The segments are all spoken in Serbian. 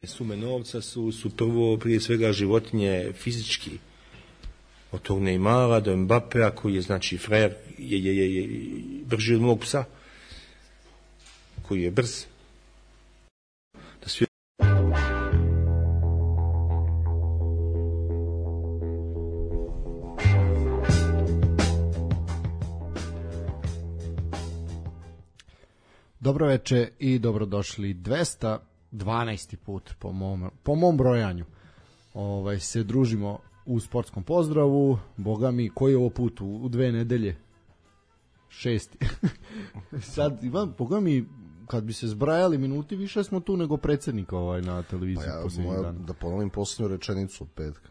Sume novca su prvo prije svega životinje fizički. Od tog Neymara do Mbappea koji je znači frajer je brži od mog psa koji je brz. Da svi... Dobro veče i dobrodošli 212. put po mom brojanju. Se družimo u sportskom pozdravu. Boga mi, koji je ovo put u 2 nedelje? 6. Sad, Ivan, boga mi, kad bi se zbrajali minuti, više smo tu nego predsjednika na televiziji. Pa ja da ponovim posljednju rečenicu od petka.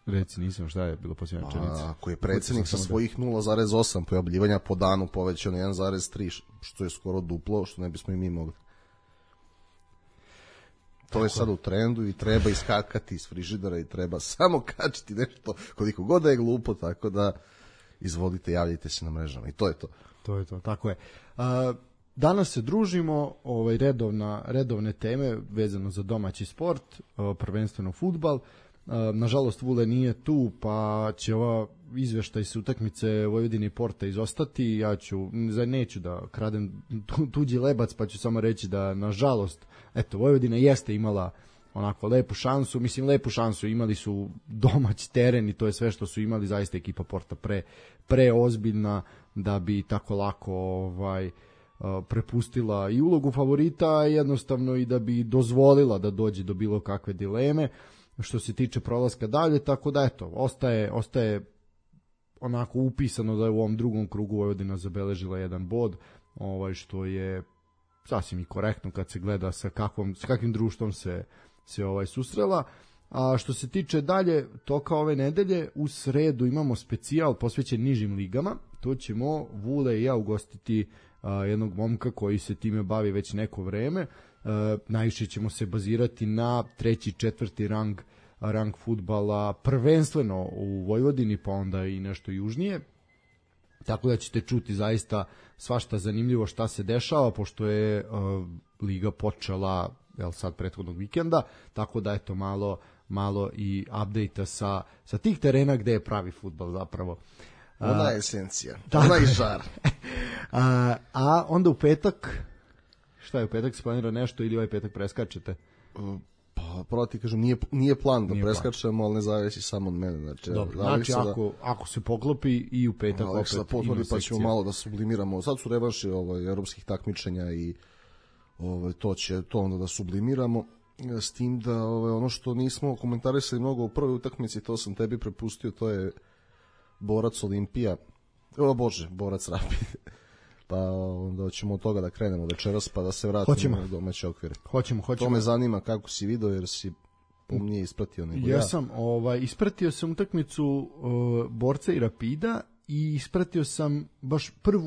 Reci, nisam, šta je bilo posljednja rečenica? Ako je predsjednik sa svojih 0,8 pojavljivanja po danu povećao na 1,3, što je skoro duplo, što ne bismo i mi mogli. To je sad u trendu i treba iskakati iz frižidera i treba samo kačiti nešto koliko god da je glupo, tako da izvolite, javljajte se na mrežama i to je to. To je to, tako je. Danas se družimo, redovne teme vezano za domaći sport, prvenstveno fudbal. Nažalost Vule nije tu, pa će ova izveštaj se utakmice Vojvodine i Porta izostati. Neću da kradem tuđi lebac, pa ću samo reći da nažalost Vojvodina jeste imala onako lepu šansu, imali su domaći teren i to je sve što su imali, zaista ekipa Porta preozbiljna da bi tako lako prepustila i ulogu favorita, jednostavno i da bi dozvolila da dođe do bilo kakve dileme što se tiče prolaska dalje, tako da ostaje onako upisano da je u ovom drugom krugu Vojvodina zabeležila 1 bod, što je sasvim i korektno kad se gleda sa kakvim društvom se susrela. A što se tiče dalje toka ove nedelje, u sredu imamo specijal posvećen nižim ligama. To ćemo Vule i ja ugostiti jednog momka koji se time bavi već neko vreme. Najviše ćemo se bazirati na 3. i 4. rang fudbala, prvenstveno u Vojvodini, pa onda i nešto južnije. Tako da ćete čuti zaista svašta zanimljivo šta se dešava, pošto je liga počela sad prethodnog vikenda, tako da malo i update-a sa tih terena gde je pravi fudbal zapravo. Ona je esencija, ona je žar. A onda u petak, šta je u petak, se planira nešto ili ovaj petak preskačete? Pa pravo ti kažem, nije plan da preskačemo, ali ne zavisi samo od mene. Znači ako se poklopi i u petak opet ima sekcija. Pa ćemo malo da sublimiramo. Sad su revanši evropskih takmičenja i to onda da sublimiramo. S tim da ono što nismo komentarisali mnogo u prvoj utakmici, to sam tebi prepustio, to je Borac Olimpija. Borac Rapid. Pa onda ćemo od toga da krenemo večeras, pa da se vratimo u domaće okvire. Hoćemo. To me zanima kako si video, jer si pomnije ispratio nego ja. Ja sam ispratio sam utakmicu Borca i Rapida i ispratio sam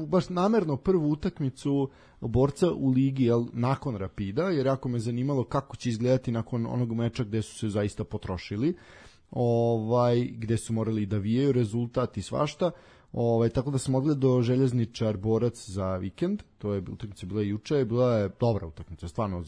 baš namerno prvu utakmicu Borca u ligi nakon Rapida, jer jako me zanimalo kako će izgledati nakon onog meča gde su se zaista potrošili, gde su morali da vijaju rezultat i svašta. Tako da sam odgledao Željezničar Borac za vikend, to je utakmica bila juče, bila je dobra utakmica, stvarno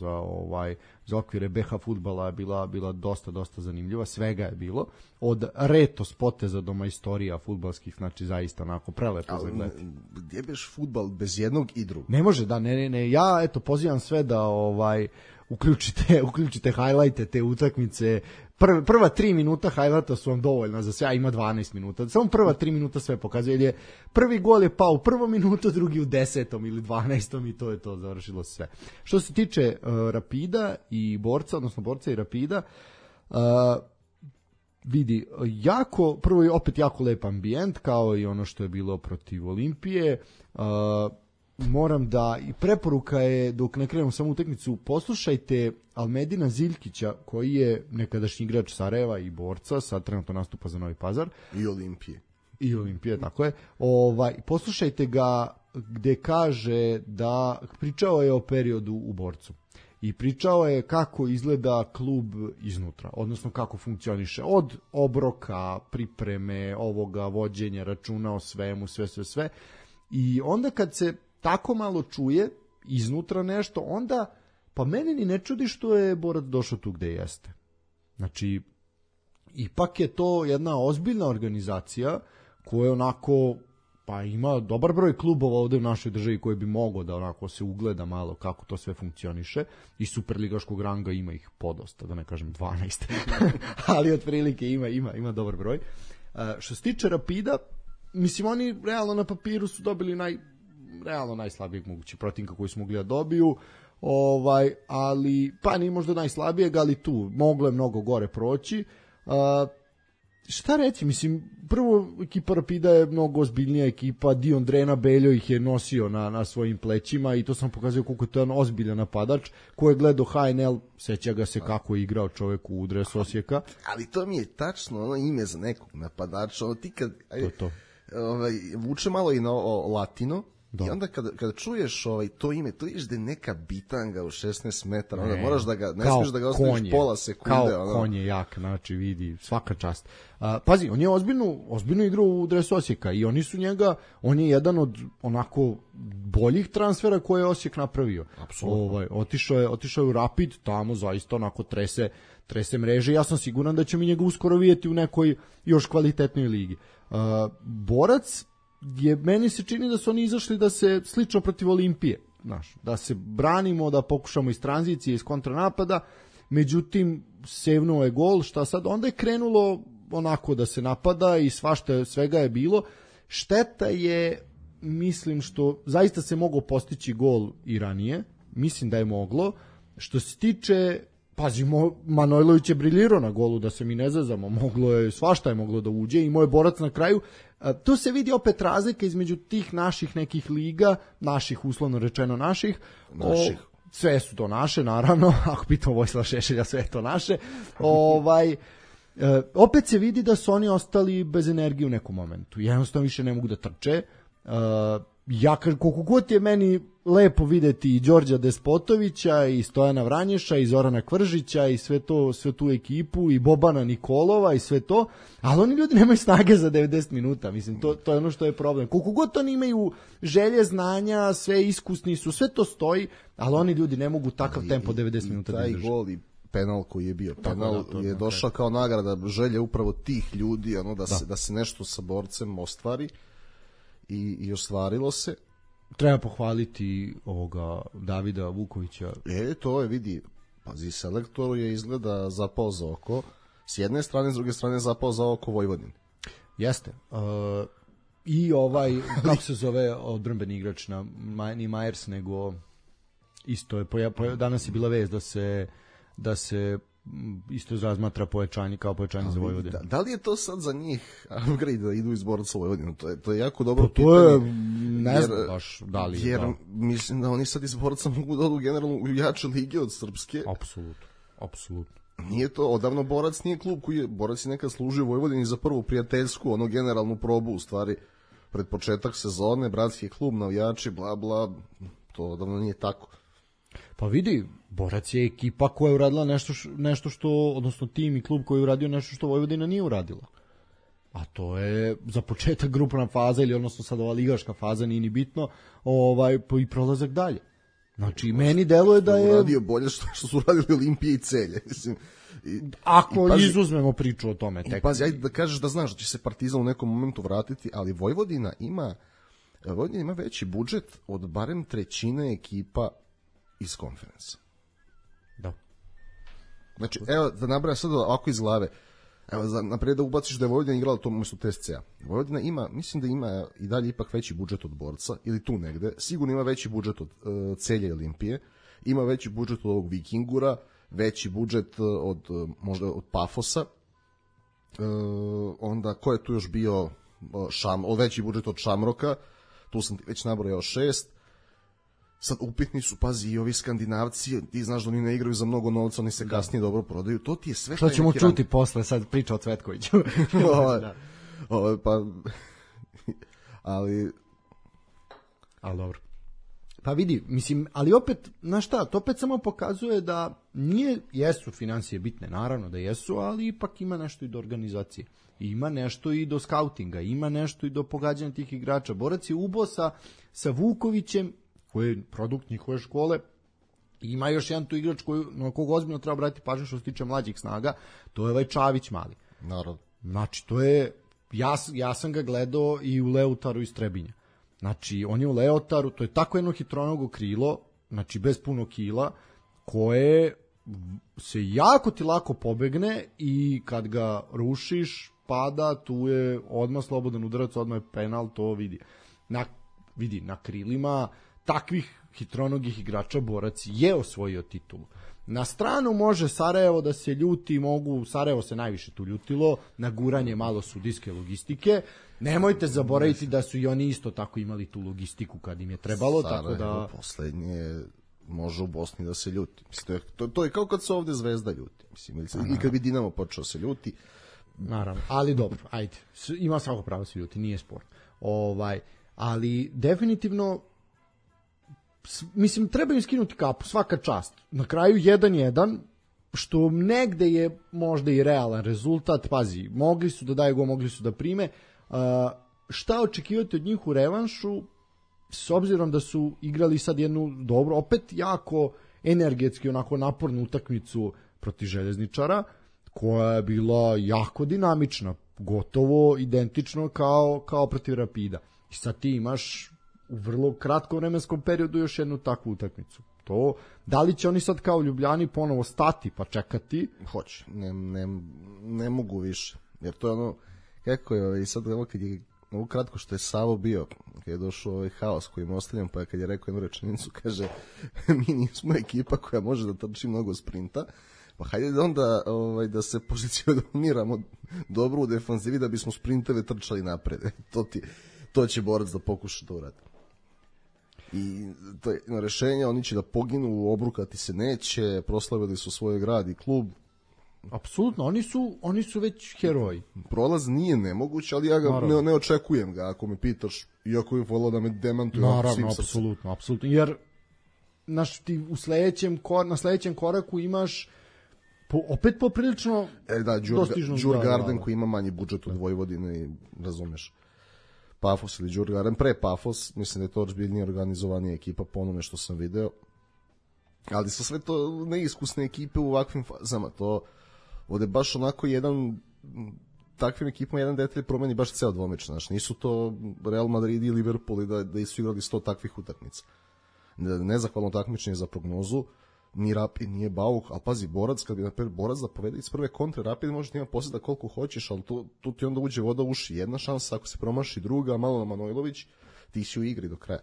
za okvire BH fudbala je bila dosta zanimljiva, svega je bilo, od retos poteza do majstorija fudbalskih, znači zaista onako prelepo za gledati. Gdje biš fudbal bez jednog i drugog? Ne može, ne, ja pozivam sve da uključite highlighte te utakmice. Prva 3 minuta highlighta su vam dovoljna za sve, ima 12 minuta. Samo prva 3 minuta sve pokazuje, jer je prvi gol je pao u 1. minutu, drugi u 10. ili 12. i to je to, završilo sve. Što se tiče Rapida i Borca, odnosno Borca i Rapida, vidi, prvo je opet jako lep ambijent, kao i ono što je bilo protiv Olimpije. Moram da, i preporuka je, dok ne krenemo samu utakmicu, poslušajte Almedina Ziljkića, koji je nekadašnji igrač Sarajeva i Borca, sad trenutno nastupa za Novi Pazar. I Olimpije, tako je. Poslušajte ga gde kaže da pričao je o periodu u Borcu. I pričao je kako izgleda klub iznutra, odnosno kako funkcioniše od obroka, pripreme, vođenja računa o svemu, sve. I onda kad se tako malo čuje iznutra nešto, onda Pa meni ni ne čudi što je Borac došao tu gde jeste. Znači, ipak je to jedna ozbiljna organizacija koja onako, pa ima dobar broj klubova ovde u našoj državi koji bi mogao da onako se ugleda malo kako to sve funkcioniše, i superligaškog ranga ima ih podosta, da ne kažem 12, ali otprilike ima dobar broj. Što se tiče Rapida, mislim, oni realno na papiru su dobili realno najslabijeg mogući protivnika koji su mogli da dobiju, ali pa nije možda najslabijeg, ali tu moglo je mnogo gore proći. Šta reći, mislim, prvo ekipa Rapida je mnogo ozbiljnija ekipa, Dion Drena Beljo ih je nosio na svojim plećima i to sam pokazao koliko je to jedan ozbiljan napadač. Ko je gledao HNL, seća ga se kako je igrao čovek u dresu Osijeka. Ali to mi je tačno ono ime za nekog napadača, ono ti kad vuče malo i na latino. Da. I onda kada čuješ to ime, to vidiš da je neka bitanga u 16 metara, onda moraš da ga, ne smiješ da ga ostaviš pola sekunde. Kao konj je jak, znači vidi, svaka čast. Pazi, on je ozbiljno igrao u dresu Osijeka i oni su njega, on je jedan od onako boljih transfera koje je Osijek napravio. Apsolutno. Otišao je u Rapid, tamo zaista onako trese mreže, ja sam siguran da ćemo mi njega uskoro vidjeti u nekoj još kvalitetnoj ligi. Borac meni se čini da su oni izašli da se slično protiv Olimpije, da se branimo, da pokušamo iz tranzicije, iz kontranapada, međutim sevnuo je gol, šta sad, onda je krenulo onako da se napada i svega je bilo. Šteta je, mislim, što zaista se moglo postići gol i ranije, mislim da je moglo. Što se tiče, pazi, Manojlović je briljirao na golu, da se mi ne zazamo, svašta je moglo da uđe i moj Borac na kraju. Tu se vidi opet razlika između tih naših nekih liga, naših, uslovno rečeno naših. Sve su to naše, naravno, ako pitamo Vojislava Šešelja, sve je to naše. Opet se vidi da su oni ostali bez energije u nekom momentu. Jednostavno više ne mogu da trče. Koliko god je meni lepo videti i Đorđa Despotovića i Stojana Vranješa i Zorana Kvržića i sve tu ekipu i Bobana Nikolova i sve to, ali oni ljudi nemaju snage za 90 minuta, mislim, to je ono što je problem. Koliko god oni imaju želje, znanja, sve iskusni su, sve to stoji, ali oni ljudi ne mogu takav tempo 90 minuta da izdrže. Taj gol i penal koji je bio, penal je došao kao nagrada želje upravo tih ljudi, da se nešto sa Borcem ostvari. I ostvarilo se. Treba pohvaliti ovoga Davida Vukovića. To je, vidi, pazi, selektoru je izgleda zapao za oko. S jedne strane, s druge strane zapao za oko Vojvodin. Jeste. I kako se zove odbrambeni igrač, ni Majers, nego isto je, danas je bila vest da se isto razmatra pojačanje kao pojačanje za Vojvodinu. Da li je to sad za njih upgrade da idu iz Borca u Vojvodinu? To je jako dobro pitanje. To je, ne znam baš da li. Jer mislim da oni sad iz Borca mogu da odu generalno u jače lige od srpske. Apsolutno. Nije to, odavno Borac nije klub koji je, Borac je nekad služio Vojvodini za prvu prijateljsku, generalnu probu, u stvari, pred početak sezone, bratski klub, navijači, bla bla, to odavno nije tako. Pa vidi, Borac je ekipa koja je uradila nešto što, odnosno tim i klub koji je uradio nešto što Vojvodina nije uradila. A to je za početak grupna faza, ili odnosno sad ova ligaška faza, nije ni bitno, i prolazak dalje. Znači, meni deluje da je... Uradio bolje što su uradili Olimpije i Celje, mislim. Ako izuzmemo priču o tome. Pazi, ajde da kažeš da znaš da će se Partizan u nekom momentu vratiti, ali Vojvodina ima veći budžet od barem trećine ekipa iz konferensa. Da. Znači, evo, da nabrajam sad ovako iz glave. Evo, naprijed da ubaciš da je Vojvodina igrala to umjesto TSC-a. Vojvodina ima, mislim da ima i dalje ipak veći budžet od Borca, ili tu negde. Sigurno ima veći budžet od Celja i Olimpije. Ima veći budžet od ovog Vikingura, veći budžet možda od Pafosa. Onda, ko je tu još bio? Veći budžet od Šamroka. Tu sam ti već nabrojao 6. Sad upitni su, pazi, i ovi Skandinavci, ti znaš da oni ne igraju za mnogo novca, oni se kasnije dobro prodaju, to ti je sve... Što ćemo čuti posle, sad priča o Cvetkoviću. Ali dobro. Pa vidi, mislim, ali opet, znaš šta, to opet samo pokazuje da jesu financije bitne, naravno da jesu, ali ipak ima nešto i do organizacije. Ima nešto i do skautinga, ima nešto i do pogađanja tih igrača. Borac je ubo sa Vukovićem, koji je produkt njihove škole, Ima još jedan tu igrač na kog ozbiljno treba obratiti pažnju što se tiče mlađih snaga, to je ovaj Čavić mali. Naravno. Znači, to je, ja sam ga gledao i u Leotaru iz Trebinja. Znači, on je u Leotaru, to je tako jedno hitronogo krilo, znači bez puno kila, koje se jako ti lako pobegne i kad ga rušiš, pada, tu je odmah slobodan udarac, odmah je penal, to vidi. Na krilima takvih hitronogih igrača Borac je osvojio titulu. Na stranu može Sarajevo da se ljuti, Sarajevo se najviše tu ljutilo, na guranje malo sudijske logistike. Nemojte zaboraviti da su i oni isto tako imali tu logistiku kad im je trebalo, Sarajevo, tako da poslednje može u Bosni da se ljuti. Mislim, to je kao kad se ovde Zvezda ljuti. Mislim, ili kad bi Dinamo počeo se ljuti. Naravno, ali dobro, ajde. Ima svako pravo se ljuti, nije sport. Ali definitivno mislim, treba im skinuti kapu, svaka čast. Na kraju 1-1, što negde je možda i realan rezultat, pazi, mogli su da daju go, mogli su da prime. Šta očekivati od njih u revanšu, s obzirom da su igrali sad jednu dobro, opet jako energetski, onako napornu utakmicu protiv Željezničara, koja je bila jako dinamična, gotovo identično kao protiv Rapida. I sad ti imaš u vrlo kratkom vremenskom periodu još jednu takvu utakmicu. To, da li će oni sad kao Ljubljani ponovo stati pa čekati? Hoće, ne mogu više. Jer to je ono, kako je, i sad ovo kad je, ovo kratko što je Savo bio, kad je došao ovaj haos kojim ostavljam, pa kad je rekao jednu rečenicu, kaže, mi nismo ekipa koja može da trči mnogo sprinta, pa hajde onda da se pozicioniramo dobro u defanzivi da bismo sprinteve trčali napred. To će Borac da pokuša da uradi. I to je rešenje, oni će da poginu, obrukati se neće, proslavili su svoj grad i klub. Apsolutno, oni su već heroji. Prolaz nije nemoguć, ali ja ga ne očekujem ga, ako me pitaš, iako bih volao da me demantuje. Naravno, apsolutno. Jer ti na sledećem koraku imaš opet poprilično dostižno. Djurgarden koji ima manji budžet od Vojvodine, razumeš. Pafos ili Djurgarden, pre Pafos, mislim da je to ozbiljnije organizovanija ekipa po onome što sam video, ali su sve to neiskusne ekipe u ovakvim fazama, to ovde baš onako takvim ekipama jedan detalj promeni baš ceo dvomeč, znaš, nisu to Real Madrid i Liverpool da su igrali 100 takvih utakmica. Nezahvalno takmičenje za prognozu, ni Rapid, nije Bauk, ali pazi, Borac, kad bi napred Borac da povede iz prve kontre, Rapid može da ima posjeda koliko hoćeš, ali tu ti onda uđe voda u uši. Jedna šansa, ako se promaši druga, malo na Manojlović, ti si u igri do kraja.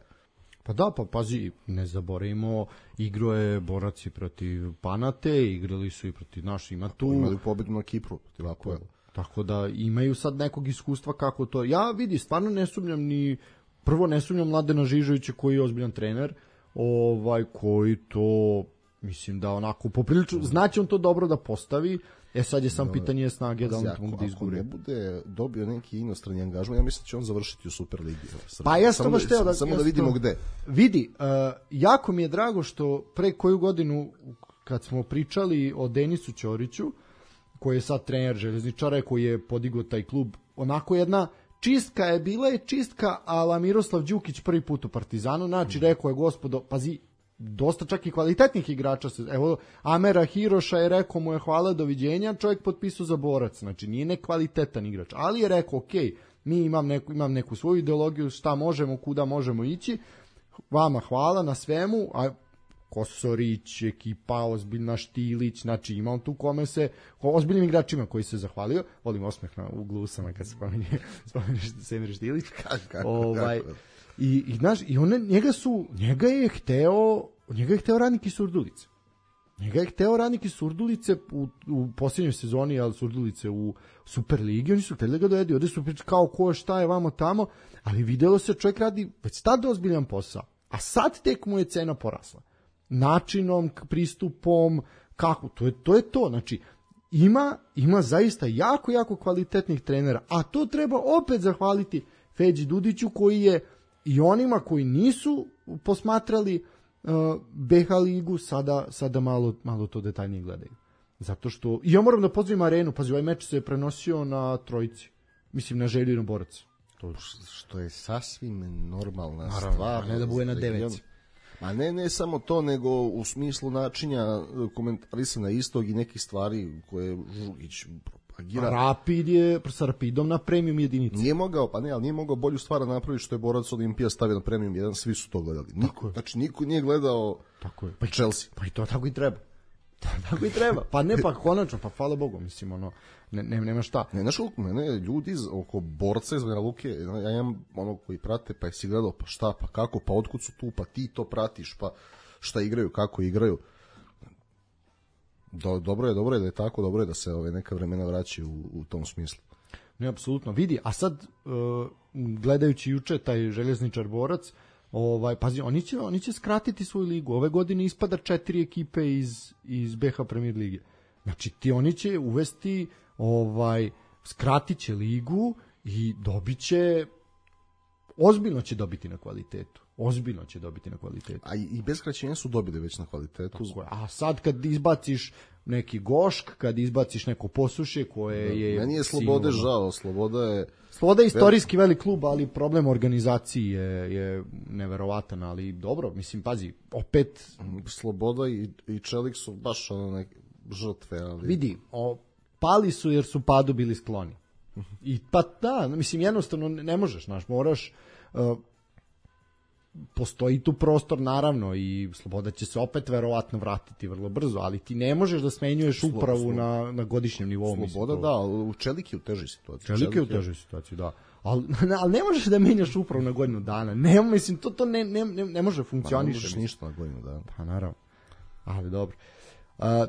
Pa da, pa pazi, ne zaboravimo, igro je Borac i protiv Panate, igrali su i protiv ima tu. Imali pobedu na Kipru, protiv Apoela. Tako da imaju sad nekog iskustva kako to. Ja vidi, stvarno ne sumnjam Mladena Žižovića koji je ozbiljan trener, koji to, mislim da onako poprilično, znači on to dobro da postavi. Sad je sam pitanje snage da on to mogu da izgure. Ako ne bude dobio neki inostrani angažman, ja mislim da će on završiti u Superligi. Pa ja sam baš teo samo da vidimo gde. Vidi, jako mi je drago što pre koju godinu kad smo pričali o Denisu Ćoriću, koji je sad trener Željezničara, koji je podigao taj klub, onako jedna čistka je bila i čistka ala Miroslav Đukić prvi put u Partizanu, znači rekao je gospodo, pazi, dosta čak i kvalitetnih igrača evo Amera Hiroša je rekao mu je hvala, doviđenja, čovjek potpisao za Borac, znači nije nekvalitetan igrač, ali je rekao ok, mi imam neku svoju ideologiju, šta možemo, kuda možemo ići, vama hvala na svemu, a Kosorić, ekipa ozbiljna, Štilić, znači imam tu kome se, ozbiljnim igračima koji se zahvalio, volim osmeh na uglu usama kad se spominješ Semir Štilić. I znaš, i njega je hteo Radnik iz Surdulice. Njega je hteo Radnik iz Surdulice u posljednjoj sezoni, ali Surdulice u Superligi, oni su hteli da ga dovedu, ovde su pričali kao ko šta je vamo tamo, ali videlo se čovjek radi već tada ozbiljan posao, a sad tek mu je cena porasla. Načinom, pristupom, kako, to je to, znači ima zaista jako kvalitetnih trenera, a to treba opet zahvaliti Feđi Dudiću koji je i onima koji nisu posmatrali BH ligu sada malo to detaljnije gledaju. Zato što, i ja moram da pozdravim Arenu, pazi, ovaj meč se prenosio na Trojici, mislim na Želju i na Borac. Što je sasvim normalna stvar. Naravno, ne da bude na 9. Ma ne samo to, nego u smislu načinja komentarisanja istog i nekih stvari koje Žugić propagira. Rapid je sa Rapidom na premium jedinici. Nije mogao bolju stvar napraviti što je Borac Olimpija stavio na premium 1, svi su to gledali. Znači niko nije gledao Chelsea. Pa i to tako i treba. Tako i treba. Pa ne, pa konačno, pa hvala Bogu, mislim, ono, nema šta. Ne, znaš koliko mene ljudi oko Borca iz Banja Luke, ja imam ono koji prate, pa jesi gledao, pa šta, pa kako, pa otkud su tu, pa ti to pratiš, pa šta igraju, kako igraju. Dobro je da je tako, dobro je da se neka vremena vraćaju u tom smislu. Ne, apsolutno. Vidi, a sad, gledajući juče taj željezničar Borac, pazi, oni će skratiti svoju ligu. Ove godine ispada 4 ekipe iz BH Premier lige. Znači, oni će uvesti, skratit će ligu i dobit će, ozbiljno će dobiti na kvalitetu. A i bez skraćenja su dobili već na kvalitetu. A sad kad izbaciš neki Gošk, kad izbaciš neko Posušje koje je... Meni je Slobode žao, Sloboda je istorijski velik klub, ali problem organizaciji je neverovatan, ali dobro, mislim, pazi, opet... Sloboda i Čelik su baš neke žrtve, ali... Vidi, pali su jer su padu bili skloni. I pa da, mislim, jednostavno ne možeš, moraš... Postoji tu prostor, naravno, i Sloboda će se opet verovatno vratiti vrlo brzo, ali ti ne možeš da smenjuješ upravu na godišnjem nivou. Sloboda, da, u Čelik je u težoj situaciji. Čelik je u težoj situaciji, da. Ali ne možeš da menjaš upravu na godinu dana. Mislim, to ne može funkcioniše. Pa ne možeš ništa na godinu dana. Pa naravno, ali dobro.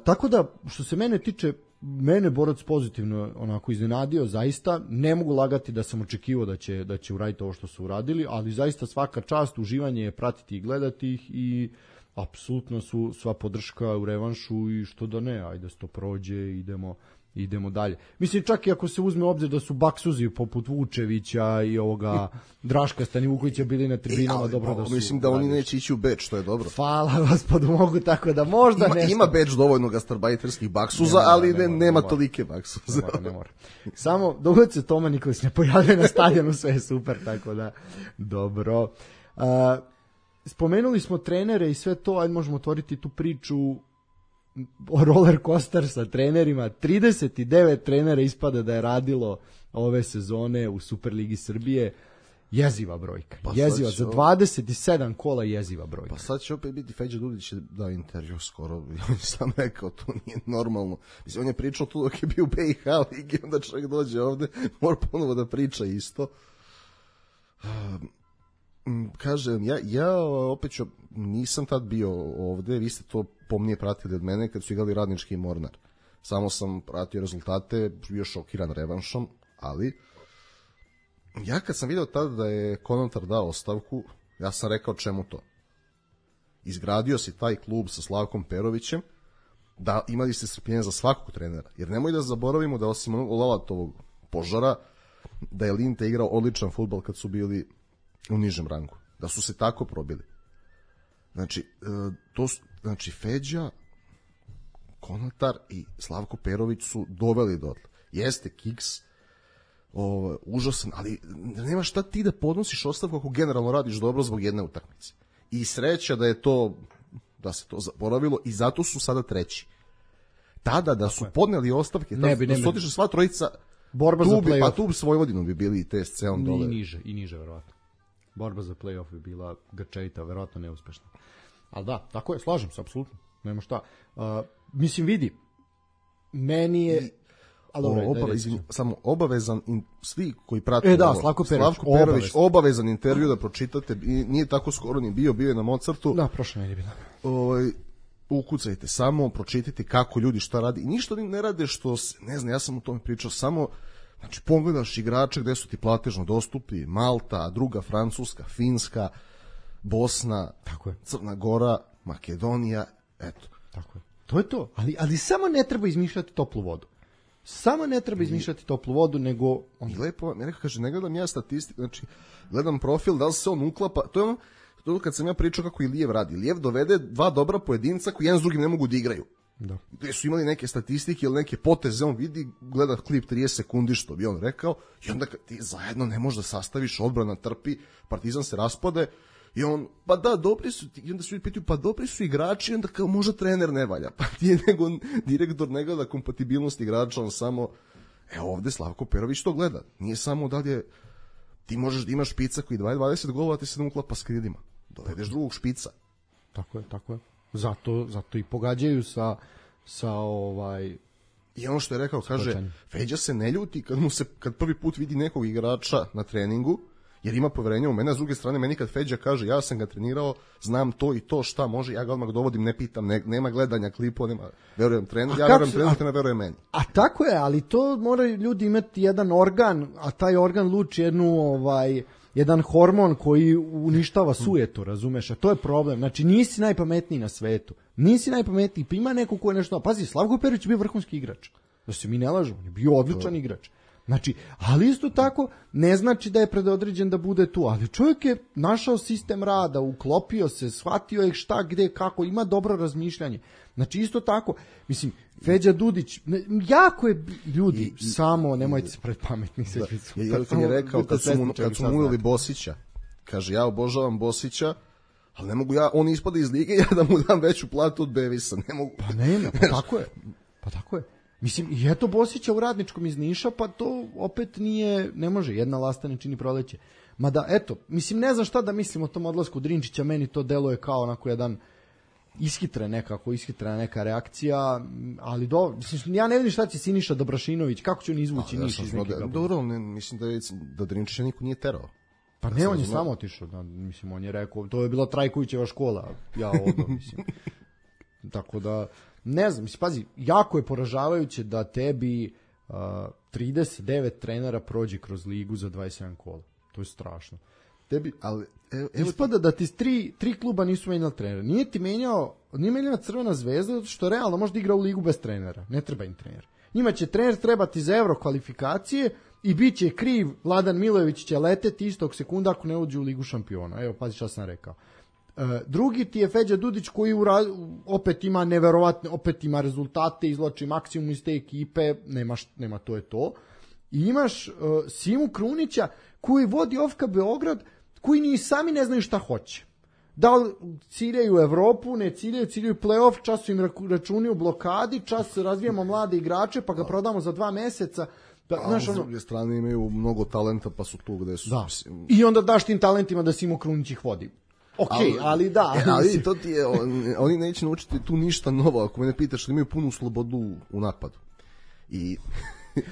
Tako da, što se mene tiče, mene Borac pozitivno onako iznenadio, zaista ne mogu lagati da sam očekivao da će uraditi ovo što su uradili, ali zaista svaka čast, uživanje je pratiti i gledati ih i apsolutno su sva podrška u revanšu i što da ne, ajde se to prođe, idemo dalje. Mislim, čak i ako se uzme obzir da su baksuzi poput Vučevića i ovoga Draška Stanivukovića bili na tribinama, dobro da su... Mislim da oni neće ići u Beč, što je dobro. Hvala gospodu, mogu tako da možda nešto... Ima Beč dovoljno gastarbajterskih baksuza, ali nema tolike baksuza. Ne mora. Samo, dogod se Toma Nikolić ne pojavljuje na stadionu, sve je super, tako da, dobro. Spomenuli smo trenere i sve to, ajde možemo otvoriti tu priču o roller coaster sa trenerima. 39 trenera ispada da je radilo ove sezone u Superligi Srbije. Jeziva brojka. Jeziva, za 27 kola jeziva brojka. Pa sad će opet biti Feđa Dudić da intervju skoro. On sam rekao, to nije normalno. Mislim, on je pričao tu dok je bio u BiH ligi, onda čovjek dođe ovde, mora ponovo da priča isto. Kažem, ja opet nisam tad bio ovde, vi ste to pomnije pratili od mene kad su igrali Radnički i Mornar. Samo sam pratio rezultate, bio šokiran revanšom, ali ja kad sam vidio tada da je Konotar dao ostavku, ja sam rekao čemu to. Izgradio si taj klub sa Slavkom Perovićem, da imali ste strpljenja za svakog trenera, jer nemoj da zaboravimo da osim Lalatovog požara, da je Linte igrao odličan fudbal kad su bili u nižem rangu, da su se tako probili. Znači, Feđa, Konatar i Slavko Perović su doveli dotle. Jeste Kiks, užasan, ali nema šta ti da podnosiš ostavku ako generalno radiš dobro zbog jedne utakmice. I sreća da se to zaboravilo i zato su sada treći. Tada da su podneli ostavke, da su otišli sva trojica, borba za play-off. Pa tu s Vojvodinom bi bili i TSC on dole. I niže, verovatno. Borba za play-off bi bila grčevita, verovatno neuspešna. Ali da, tako je, slažem se, apsolutno. Nema šta. Mislim, vidi, meni je... Samo obavezan, svi koji prate Slavko Perović, obavezan intervju da pročitate, nije tako skoro ni bio je na Mozartu. Da, prošle nedelje bilo. Ukucajte, samo pročitajte kako ljudi šta radi. I ništa ne rade što, ne znam, ja sam o tome pričao, samo znači pogledaš igrače gde su ti platežno dostupni, Malta, druga Francuska, Finska, Bosna, tako je. Crna Gora, Makedonija, eto. Tako je. To je to, ali samo ne treba izmišljati toplu vodu. Nego... I lepo, neko kaže, ne gledam ja statistiku, znači, gledam profil, da li se on uklapa, to je ono kad sam ja pričao kako i Lijev radi. Lijev dovede dva dobra pojedinca koji jedan s drugim ne mogu da igraju. Da. Gde su imali neke statistike ili neke poteze, on vidi, gleda klip 30 sekundi što bi on rekao i onda ti zajedno ne možeš da sastaviš, odbrana trpi, Partizan se raspade I on, pa da, dobri su, i onda se ljudi pitaju, pa dobri su igrači, i onda kao možda trener ne valja. Pa ti je nego direktor ne gleda kompatibilnost igrača, on samo, ovde Slavko Perović to gleda. Nije samo dalje, ti možeš da imaš špica koji 20 golova, ti se ne uklapa s krilima. Dovedeš drugog špica. Tako je. Zato i pogađaju sa I ono što je rekao, kaže, Feđa se ne ljuti kad prvi put vidi nekog igrača na treningu, jer ima poverenja u mene, a s druge strane meni kad Feđa kaže ja sam ga trenirao, znam to i to šta može, ja ga odmah dovodim, ne pitam, nema gledanja klipova, nema, verujem trener, ja verujem trener, ne verujem meni. A tako je, ali to moraju ljudi imati jedan organ, a taj organ luči jedan hormon koji uništava sujetu, razumeš, a to je problem. Znači nisi najpametniji na svetu, pa ima neko ko je nešto, pazi, Slavko Perović je bio vrhunski igrač, da se mi ne lažemo, on je bio odličan igrač. Znači, ali isto tako ne znači da je predodređen da bude tu, ali čovjek je našao sistem rada, uklopio se, shvatio je šta, gde, kako, ima dobro razmišljanje. Znači, isto tako, mislim, Feđa Dudić, jako je, ljudi, samo, nemojte se predpametni. On je rekao, kad su mu uveli Bosića, kaže, ja obožavam Bosića, ali ne mogu on ispada iz lige, ja da mu dam veću platu od Bevisa, ne mogu. Pa nema, pa tako je. Mislim, i eto Bosića u Radničkom iz Niša, pa to opet ne može, jedna lasta ne čini proleće. Mada, eto, mislim, ne znam šta da mislim o tom odlasku Drinčića, meni to deluje kao onako jedan ishitrena neka reakcija, ali mislim, ja ne vidim šta će Siniša Dobrašinović, kako će on izvući Niš iz nekega. Dobro, mislim da Drinčića niko nije terao. Pa ne, on je samo otišao, mislim, on je rekao, to je bila Trajkovićeva škola, ja ovdje, mislim. Tako da, ne znam, mislim, pazi, jako je poražavajuće da tebi 39 trenera prođe kroz ligu za 27 kola. To je strašno. Tebi, ali, ispada da ti tri kluba nisu menjali trenera. Nije menjala Crvena zvezda, zato što realno možda igra u ligu bez trenera. Ne treba im trener. Njima će trener trebati za euro kvalifikacije i bit će kriv, Vladan Milojević će leteti istog sekunda ako ne uđe u ligu šampiona. Evo, pazi šta sam rekao. Drugi ti je Feđa Dudić koji opet ima neverovatne, opet ima rezultate, izvlači maksimum iz te ekipe, nema to je to. I imaš Simu Krunića koji vodi OFK Beograd, koji ni sami ne znaju šta hoće. Da li ciljaju Evropu, ne ciljaju play-off, čas su im računi u blokadi, čas razvijamo mlade igrače pa ga prodamo za 2 meseca. A s druge strane imaju mnogo talenta pa su tu gde su. Da. I onda daš tim talentima da Simo Krunić ih vodi. Ali da. Ali to ti je, oni neće naučiti tu ništa novo, ako me ne pitaš, imaju punu slobodu u napadu.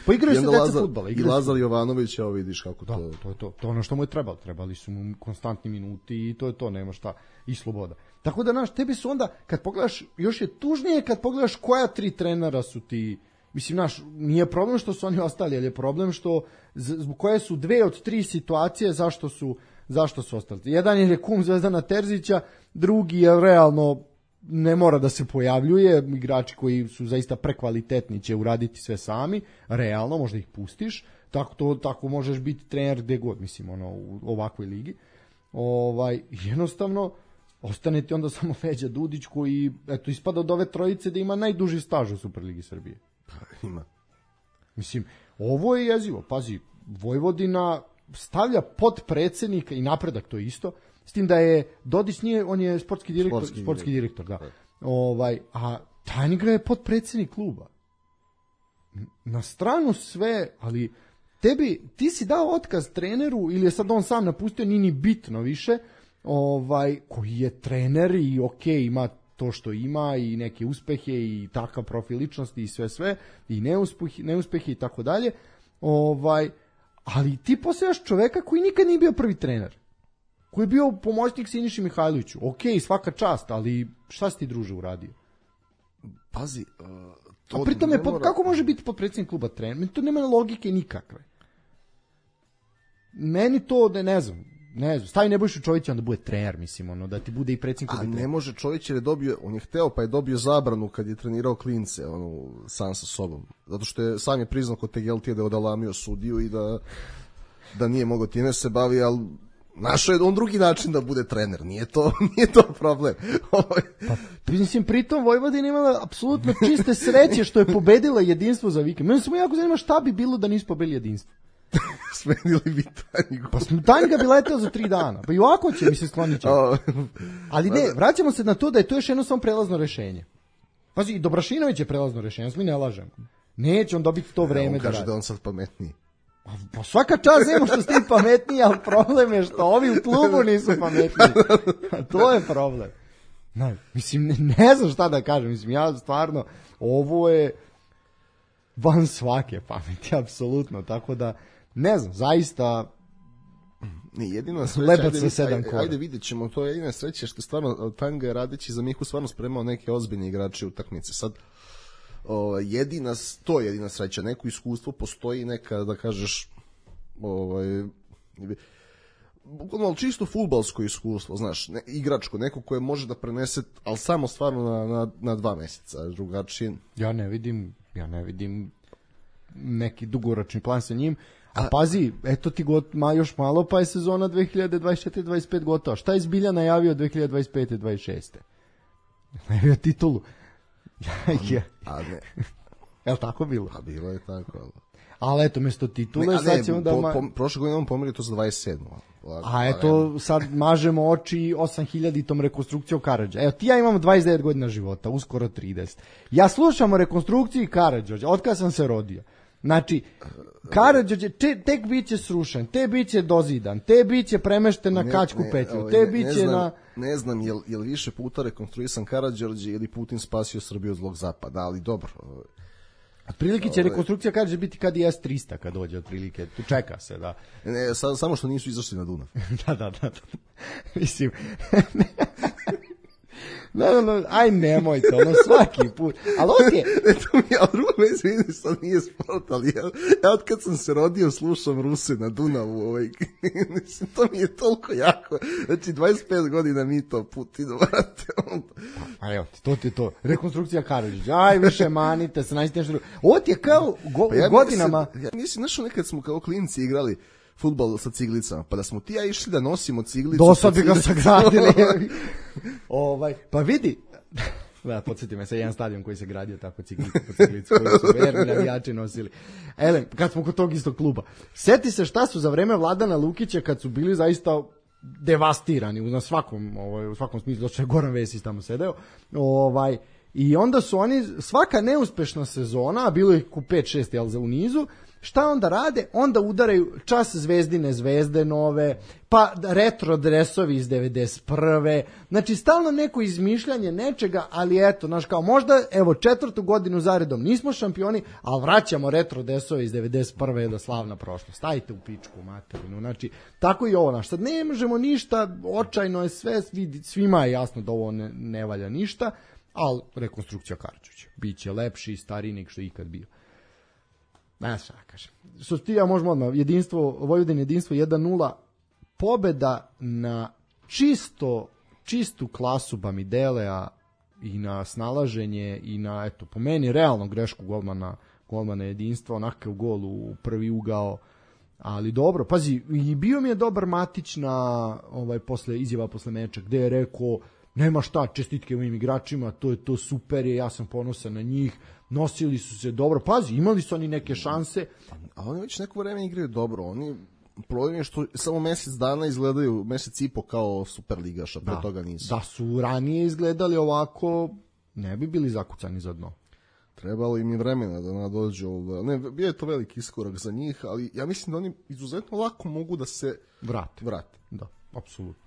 Pa igraju se deca fudbala. I Lazar Jovanović, evo vidiš kako to... To je to. To ono što mu je trebalo. Trebali su mu konstantni minuti i to je to, nema šta. I sloboda. Tako da, tebi su onda, kad pogledaš, još je tužnije kad pogledaš koja 3 trenera su ti... Mislim, nije problem što su oni ostali, ali je problem što zbog koje su 2 od 3 situacije zašto su ostali. Jedan je kum Zvezdana Terzića, drugi je realno ne mora da se pojavljuje, igrači koji su zaista prekvalitetni će uraditi sve sami, realno, možda ih pustiš, tako možeš biti trener gde god, mislim, u ovakvoj ligi. Jednostavno, ostane ti onda samo Feđa Dudić koji, eto, ispada od ove trojice da ima najduži staž u Superligi Srbije. Ima. Mislim, ovo je jezivo, pazi, Vojvodina stavlja potpredsednika i Napredak to isto, s tim da je Dodić on je sportski direktor, da. A Tajnigra je potpredsednik kluba. Na stranu sve, ali ti si dao otkaz treneru ili je sad on sam napustio, nije ni bitno više, koji je trener i ima to što ima i neke uspehe i takav profil ličnosti i sve i neuspehe i tako dalje. Ali ti postajaš čoveka koji nikad nije bio prvi trener. Koji je bio pomoćnik Siniši Mihajloviću. Svaka čast, ali šta si ti, druže, uradio? Pazi, to... A pritom kako može biti potpredsjednik kluba trener? To nema logike nikakve. Meni to, ne znam, stavi Nebojšu Čovića onda bude trener, mislim, da ti bude i predsjednik kluba trener. A ne može Čović jer on je hteo pa je dobio zabranu kad je trenirao klince, sam sa sobom. Zato što sam je priznao kod Tegeltija da je odalamio sudiju i da nije mogao time se bavi, ali našao je on drugi način da bude trener, nije to problem. Mislim, pritom Vojvodina imala apsolutno čiste sreće što je pobedila Jedinstvo za vikend. Meni samo jako zanima šta bi bilo da nisu pobedili Jedinstvo. smenili bi Tanjgu. Pa Tanjga bi leteo za 3 dana. Pa i ovako će mi se sklonit će. Ali ne, vraćamo se na to da je to još jedno samo prelazno rešenje. Pazi, i Dobrašinović je prelazno rešenje, mi ne lažemo. Neće on dobiti to vreme on kaže radi. da on sad pametniji. Pa svaka čast Zemo što ste pametniji, ali problem je što ovi u klubu nisu pametniji. To je problem. Mislim, ne znam šta da kažem. Mislim, ja stvarno, ovo je van svake pameti, apsolutno. Tako da, ne znam, zaista... Ne, jedina sreća, ajde vidjet ćemo, to je jedina sreća što stvarno Tanga je radeći za Mihu stvarno spremao neke ozbiljne igrače u utakmice. Sad, to je jedina sreća, neko iskustvo postoji, neka, da kažeš, ali čisto fudbalsko iskustvo, znaš, igračko, neko koje može da prenese, ali samo stvarno na 2 meseca, drugačije. Ja ne vidim neki dugoročni plan sa njim. A pazi, eto ti još malo, pa je sezona 2024-25 gotova. Šta je Zbilja najavio 2025-26? Najavio titulu. A ne. Je li tako bilo? A bilo je tako, ali eto, mesto titule, sad ćemo da... Prošle godine on pomerio to za 27. A eto, sad mažemo oči 8000-tom rekonstrukcijom Karadža. Evo, ti ja imamo 29 godina života, uskoro 30. Ja slušam o rekonstrukciji Karadža, od kada sam se rodio. Znači, Karadžić tek biće srušen, te biće dozidan, te biće premešten na Kačku petlju, te biće na... Ne znam, je li više puta rekonstruisan Karadžić ili Putin spasio Srbiju od zlog zapada, ali dobro. Otprilike će rekonstrukcija Karadžić biti kad i S-300 kad dođe, otprilike, tu čeka se, da. Ne, samo što nisu izašli na Dunav. Da. Mislim... No, aj nemojte, svaki put. Ali ovdje... To mi je, ali drugo vezi, što nije sport, ali ja od kad sam se rodio slušam Ruse na Dunavu, mislim, to mi je toliko jako. Znači, 25 godina mi to Putinu, vrate. A evo, to ti je to. Rekonstrukcija Karadžić. Aj, više manite se, najste nešto drugo. Ovo ti je kao godinama... Ja mislim, znaš, nekad smo kao klinci igrali fudbal sa ciglicama, pa da smo ti ja išli da nosimo ciglicu. Dosad bi ga sagradili. Pa vidi, podsjeti me se jedan stadion koji se gradio tako ciglicu po ciglicu, koji su verni navijači nosili. Kad smo kod tog istog kluba. Seti se šta su za vreme Vladana Lukića, kad su bili zaista devastirani u svakom smislu, došao je Goran Vesić tamo sedeo, i onda su oni, svaka neuspešna sezona, a bilo ih ku 5-6 u nizu, šta onda rade? Onda udaraju čas Zvezdine zvezde nove, pa retro dresovi iz 91. Znači, stalno neko izmišljanje nečega, ali eto, znaš, kao možda, evo, 4. godinu zaredom nismo šampioni, ali vraćamo retro dresove iz 91. je da slavna prošlost. Stavite u pičku materinu. Znači, tako i ovo, znaš, sad ne možemo ništa, očajno je sve, svima je jasno da ovo ne valja ništa, ali rekonstrukcija Karadžića. Biće lepši i stariji nego što je ikad bio. Ne, šta kažem. Što ti ja možemo odmah, Vojvodin jedinstvo 1-0, pobeda na čistu klasu Bamidelea i na snalaženje i na, eto, po meni realno grešku golmana jedinstva, onakav gol u prvi ugao, ali dobro, pazi, i bio mi je dobar Matić na izjava posle meča, gde je rekao, nema šta, čestitke mojim igračima, to super je, ja sam ponosan na njih, nosili su se dobro, pazi, imali su oni neke šanse. A oni već neko vreme igraju dobro, oni problem je što samo mesec dana izgledaju, mesec i po kao Superligaša, pre toga nisu. Da su ranije izgledali ovako, ne bi bili zakucani za dno. Trebalo im je vremena da nadođu. Ne, bio je to veliki iskorak za njih, ali ja mislim da oni izuzetno lako mogu da se vrate. Da, apsolutno.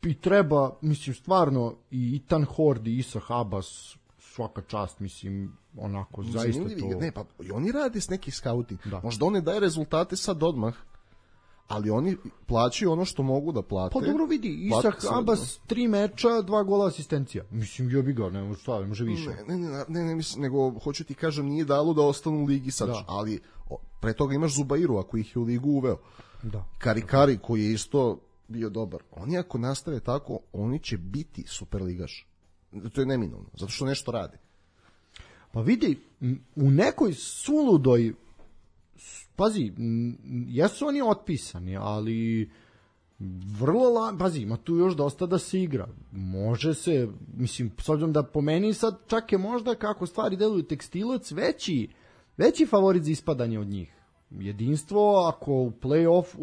I treba, mislim, stvarno, i Ethan Hord i Isa Habas, svaka čast, mislim, onako, zaista to... Ne, pa i oni rade s neki scouting. Možda on ne daje rezultate sad odmah, ali oni plaćaju ono što mogu da plate. Pa dobro vidi, Isa Habas 3 meča, 2 gola asistencija. Mislim, jebi ga, ne može više. Ne, mislim, nego, hoću ti kažem, nije dalo da ostanu u ligi sad, ali pre toga imaš Zubairu, ako ih je u ligu uveo. Karikari, koji je isto bio dobar. Oni ako nastave tako, oni će biti superligaš. To je neminovno, zato što nešto radi. Pa vidi, u nekoj suludoj, pazi, jesu oni otpisani, ali pazi, ima tu još dosta da se igra. Može se, mislim, s obzirom da po meni sad čak je možda kako stvari deluju Tekstilac veći favorit za ispadanje od njih. jedinstvo, ako u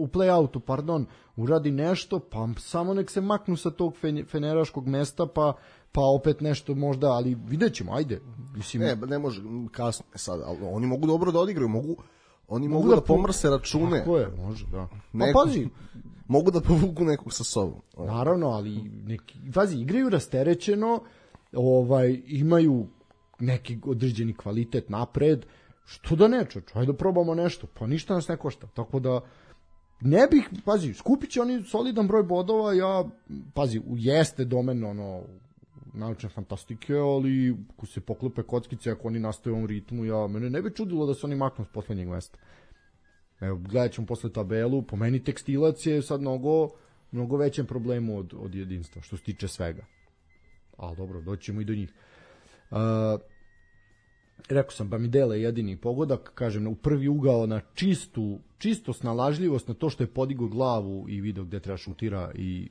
play-outu, uradi nešto, pa samo nek se maknu sa tog feneraškog mesta, pa opet nešto možda, ali vidjet ćemo, ajde. Mislim, ne može, kasno sad, ali oni mogu dobro da odigraju, mogu da pomrse račune. Tako je, može, da. Pa pazi, mogu da povuku nekog sa sobom. Naravno, ali pazi, igraju rasterećeno, imaju neki određeni kvalitet napred, što da ne, ajde da probamo nešto, pa ništa nas ne košta, tako da ne bih, pazi, skupit će oni solidan broj bodova, jeste domen naučne fantastike, ali ako se poklope kockice, ako oni nastaju u ovom ritmu, mene ne bi čudilo da se oni maknu s poslednjeg mesta. Evo, gledat ćemo posle tabelu, po meni Tekstilac je sad mnogo većem problemu od jedinstva, što se tiče svega. Ali dobro, doćemo i do njih. Rekao sam, Bamidele je jedini pogodak, kažem, u prvi ugao na čisto snalažljivost, na to što je podigao glavu i video gde treba šutira i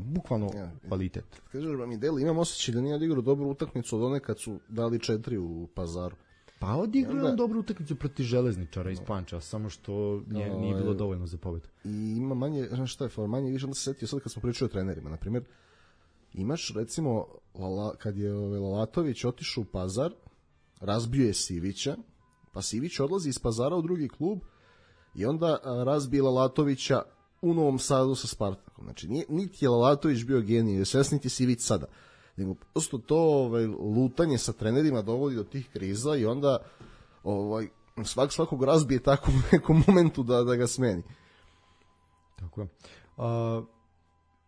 bukvalno kvalitet. Kažeš Bamidele, imam osjećaj da nije odigrao dobru utakmicu od one kad su dali 4 u Pazaru. Pa odigrao je dobru utakmicu protiv Železničara iz Panča, samo što nije bilo dovoljno za pobedu. I ima manje, šta je, manje više, onda se setio sad kad smo pričali o trenerima, na primjer, imaš recimo kad je Lalatović otišao u Pazar, razbio je Sivića, pa Sivić odlazi iz Pazara u drugi klub i onda razbije Lalatovića u Novom Sadu sa Spartakom. Znači, niti je Lalatović bio genij, niti Sivić sada, nego prosto to lutanje sa trenerima dovodi do tih kriza i onda svakog razbije tako u nekom momentu da ga smeni. Tako je.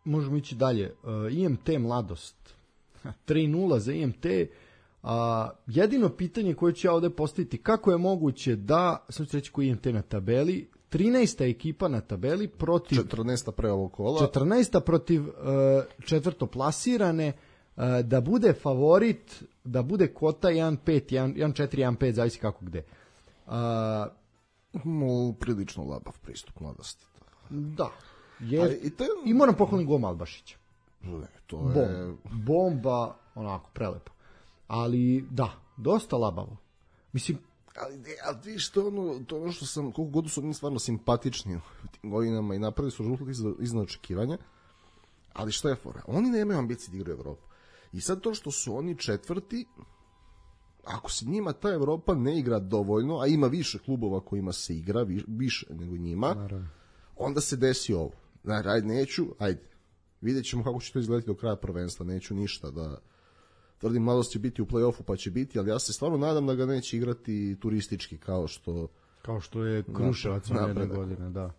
Možemo ići dalje. IMT Mladost. 3-0 za IMT. Jedino pitanje koje ću ja ovde postaviti, kako je moguće da, sam ću reći koji IMT na tabeli, 13. ekipa na tabeli protiv 14. pre ovog kola, 14. protiv četvrtoplasirane, da bude favorit, da bude kvota 1-5, 1-4, 1-5, zavisi kako gde. Prilično labav pristup Mladosti. Da. I moram pohvaliti gol Malbašića. To je bomba, onako, prelepo. Ali, da, dosta labavo. Mislim, ali vidiš, to ono što sam, koliko god su oni stvarno simpatični u tim godinama i napravili su rezultat iznad očekivanja, ali šta je fora? Oni nemaju ambicije da igraju Evropu. I sad to što su oni četvrti, ako se njima ta Evropa ne igra dovoljno, a ima više klubova kojima se igra, više nego njima, naravno, onda se desi ovo. Ajde, vidjet ćemo kako će to izgledati do kraja prvenstva, neću ništa da tvrdim, Mladost će biti u play-offu pa će biti, ali ja se stvarno nadam da ga neće igrati turistički kao što je Kruševac jedne godine, da.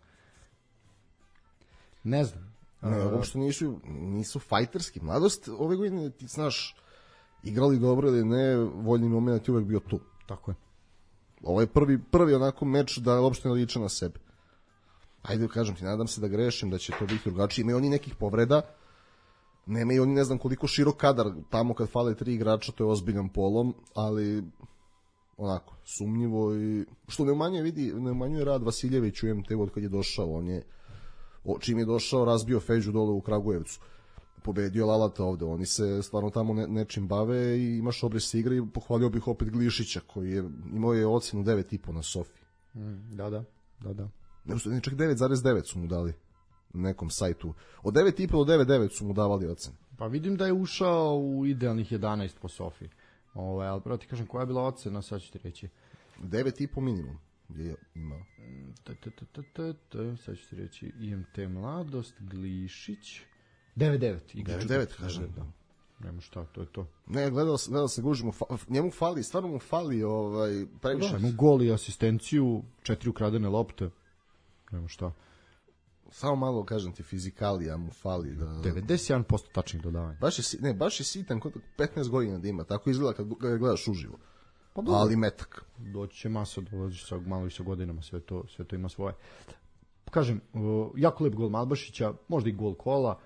Ne znam. Uopšte nisu fajterski. Mladost ove godine, ti znaš, igrali dobro ili ne, voljni moment je uvek bio tu. Tako je. Ovo je prvi onako meč da uopšte ne liče na sebe. Ajde, kažem ti, nadam se da grešim, da će to biti drugačije. Imaju oni nekih povreda, nemaju oni ne znam koliko širok kadar, tamo kad fale 3 igrača, to je ozbiljan polom, ali onako, sumnjivo i što ne umanjuje rad Vasiljević u MT od kad je došao, čim je došao razbio Feđu dole u Kragujevcu, pobedio Lalata ovde, oni se stvarno tamo nečim bave i imaš obris igre i pohvalio bih opet Glišića koji imao je ocenu 9,5 na Sofi. Da. Ne, čak 9,9 su mu dali na nekom sajtu. Od 9,5 do 9,9 su mu davali ocene. Pa vidim da je ušao u idealnih 11 po Sofi. Ali pravo ti kažem, koja je bila ocena, sad ću ti reći. 9,5 minimum je imao. Sad ću ti reći, IMT Mladost, Glišić. 9,9. 9,9, kažem. Da. Nema šta, to je to. Ne, gledao se gužimo, njemu fali, stvarno mu fali previše. Da, ima gol i asistenciju, 4 ukradene lopte. Nema šta. Samo malo, kažem ti, fizikalija mu fali. 91% tačnih dodavanja. Baš je sitan, 15 godina da ima, tako izgleda kad ga gledaš uživo. Pa ali metak. Doći će masa, dolazi sa malo i sa godinama, sve to ima svoje. Kažem, jako lep gol Malbašića, možda i gol kola,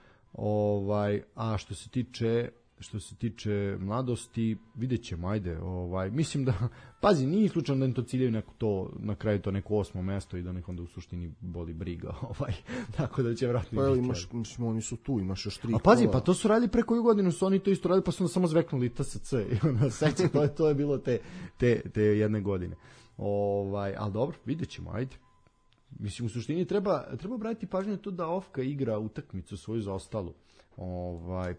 a što se tiče Mladosti, vidjet ćemo, ajde, mislim da, pazi, nije slučajno da im to ciljaju na kraju to neko 8. mesto i da nek onda u suštini boli briga, tako da će vratno biti. Pa oni su tu, imaš još 3 kola. A pazi, pa to su radili pre koju godinu, su oni to isto radili, pa su onda samo zveknuli TSC i onda seća, to je bilo te jedne godine. Ali dobro, vidjet ćemo, ajde. Mislim, u suštini treba obratiti pažnju na to da Ofka igra utakmicu svoju zaostalu.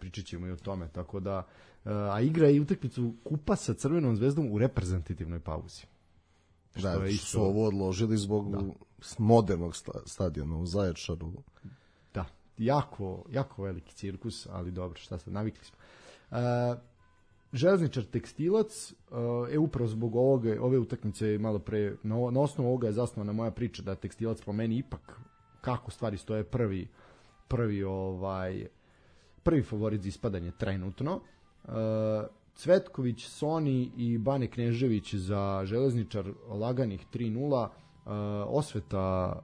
Pričat ćemo i o tome, tako da a igra i utakmicu kupa sa Crvenom zvezdom u reprezentativnoj pauzi. Da, su ovo odložili zbog modernog stadiona u Zaječaru. Da, jako veliki cirkus, ali dobro, šta sad, navikli smo. Železničar Tekstilac, upravo zbog ove utakmice malo pre, na osnovu ovoga je zasnovana moja priča da Tekstilac po meni ipak, kako stvari stoje, prvi favorit za ispadanje trenutno. Cvetković, Soni i Bane Knežević za Železničar laganih 3-0. Osveta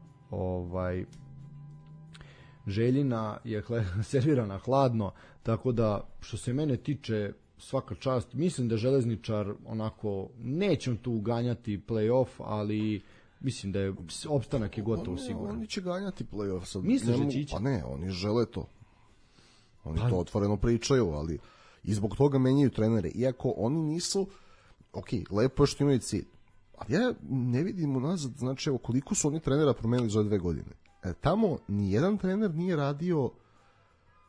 Željina je servirana hladno, tako da što se mene tiče svaka čast. Mislim da Železničar onako neće tu ganjati play-off, ali mislim da je opstanak je gotovo siguran. Oni će ganjati play-off sad. Misliš da će ići? Pa ne, oni žele to. Oni to otvoreno pričaju, ali i zbog toga menjaju trenere. Iako oni nisu, lepo je što imaju cilj. Ali ja ne vidim unazad, znači koliko su oni trenera promenili za 2 godine. Tamo nijedan trener nije radio,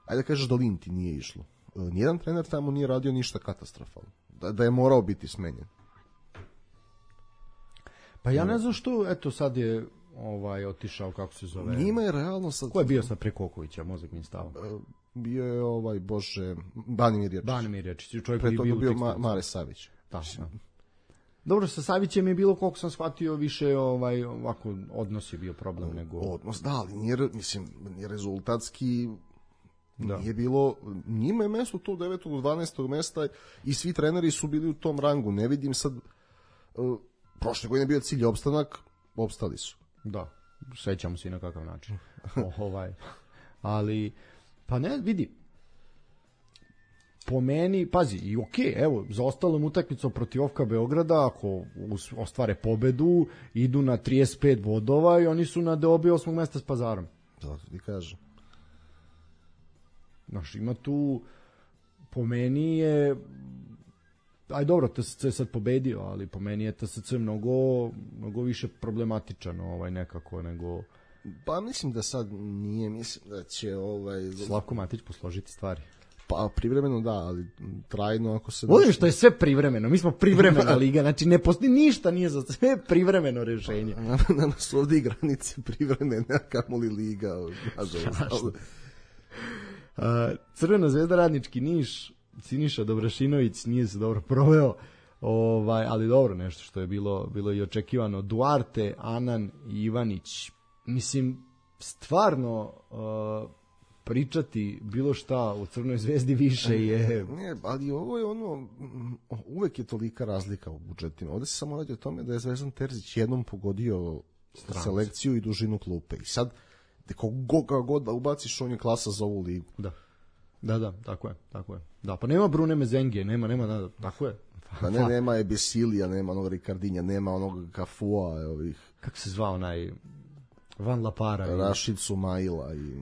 ajde da kažeš da Linti nije išlo. Nijedan trener tamo nije radio ništa katastrofalno. Da je morao biti smenjen. Pa ja ne znam što, sad je otišao, kako se zove. Njima je realno sad... Ko je bio sad pre Kokovića, mozak mi stava? Bio je, Banimir Jačić. Banimir Jačić, čovjek pre koji je bio Mare Savić. Da. Dobro, sa Savićem je bilo, koliko sam shvatio, više ovako odnos je bio problem nego... Odnos, da, ali nije rezultatski... Nije bilo, njima je mesto to 9. do 12. mesta i svi treneri su bili u tom rangu. Ne vidim sad, prošle godine je bio cilj opstanak, opstali su. Da, sećamo se i na kakav način. Ali, pa ne, vidi, po meni, pazi, i evo, za ostalom utakmicom protiv Ofka Beograda, ako ostvare pobedu, idu na 35 bodova i oni su na deobi 8. mesta s Pazarom. Da, ti kažem. Znaš, ima tu, po meni je, dobro, TSC je sad pobedio, ali po meni je TSC mnogo više problematičan nekako nego... Pa mislim da sad nije, mislim da će Slavko Matić posložiti stvari. Pa privremeno da, ali trajno ako se... Volim što je sve privremeno, mi smo privremena liga, znači ne postoji ništa, nije za sve privremeno rešenje. Na nas ovdje i granice privremene, kamoli liga, nažalost. Crvena zvezda Radnički Niš, Siniša Dobrašinović nije se dobro proveo, ali dobro, nešto što je bilo i očekivano. Duarte, Anan i Ivanić, mislim, stvarno pričati bilo šta u Crvenoj zvezdi više je... Ne, ali ovo je uvek je tolika razlika u budžetima. Ovdje se samo radi o tome da je Zvezdan Terzić jednom pogodio selekciju i dužinu klupe. I sad, koga god da ubaciš, on je klasa za ovu ligu. Da, tako je. Da, pa nema Brune Mezengije, nema, tako je. Pa nema Ebesilija, nema onog Ricardinja, nema onog Kafua, ovih... Kako se zvao onaj... Van Lapara. Rašid Sumaila i...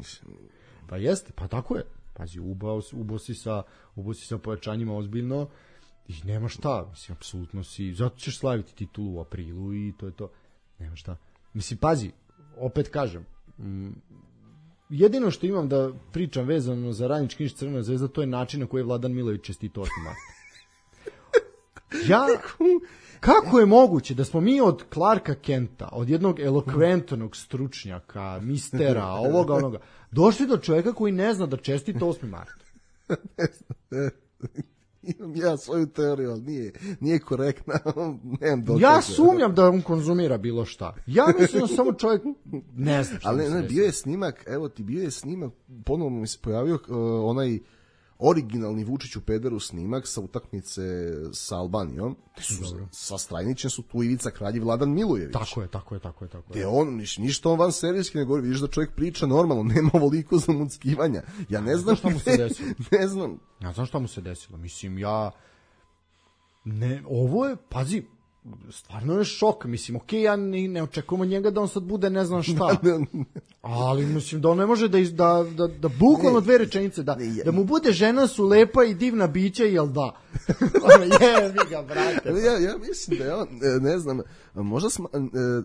Pa jeste, pa tako je. Pazi, ubao si sa pojačanjima ozbiljno i nema šta. Mislim, apsolutno si... Zato ćeš slaviti titulu u aprilu i to je to. Nema šta. Mislim, pazi, opet kažem, jedino što imam da pričam vezano za Radnički Niš Crvena zvezda, to je način na koji je Vladan Milović čestito 8. marta. Kako je moguće da smo mi od Clarka Kenta, od jednog elokventnog stručnjaka, mistera, onoga, došli do čovjeka koji ne zna da čestita 8. marta? Imam ja svoju teoriju, ali nije korektna. Ja sumnjam da on konzumira bilo šta. Ja mislim da samo čovjek ne zna šta. Ali bio je snimak, evo ti bio je snimak, ponovno mi se pojavio onaj originalni Vučić u pederu snimak sa utakmice sa Albanijom. Sa Strajnićem su tu Ivica Kralj i Vladan Milojević. Tako je. Te on, ništa on van serijski ne govori, vidiš da čovjek priča normalno, nema ovoliko zamuckivanja. Ja ne znam šta mu se desilo. Ne znam. Ja znam šta mu se desilo. Mislim, ovo je, pazi, stvarno je šok, mislim, okej, ja ne očekujem od njega da on sad bude ne znam šta, ali mislim da on ne može da bukvalno 2 rečenice, da mu bude žena su lepa i divna bića, jel da? Jebi ga, brate. Ja mislim da je on, ne znam, možda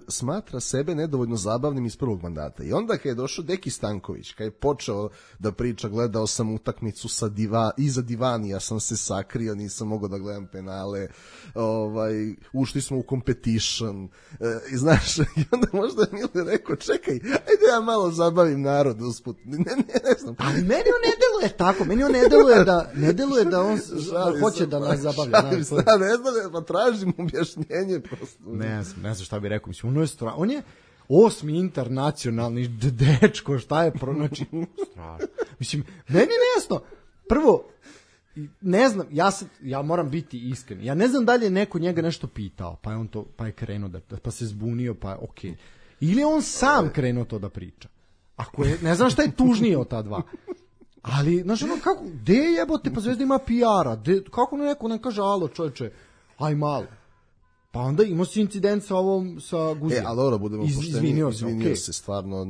smatra sebe nedovoljno zabavnim iz prvog mandata. I onda kad je došao Deki Stanković, kad je počeo da priča, gledao sam utakmicu iza divanija sam se sakrio, nisam mogao da gledam penale, ušli smo u competition, i znaš, i onda možda je Mile rekao, čekaj, ajde ja malo zabavim narod usput. Ne znam. Ali meni on ne deluje tako, meni on ne deluje da on hoće da nas zabavlja. Ne znam, pa tražim objašnjenje prosto. Ne znam šta bih rekao, mislim, on je 8. internacionalni dečko, šta je znači, strašno. Mislim, meni je nejasno, prvo, ne znam, ja moram biti iskren, ja ne znam da li je neko njega nešto pitao, pa je krenuo pa se zbunio, pa je okej. Ili on sam krenuo to da priča. Ako je, ne znam šta je tužnije od ta dva. Ali, znaš, ono, kako, gde jebote, pa Zvezda ima PR-a, kako neko ne kaže, alo, čovječe, aj malo. Pa onda imao si incident sa sa Guzijem. Ali dobro, budemo pošteni, izvinio se, stvarno,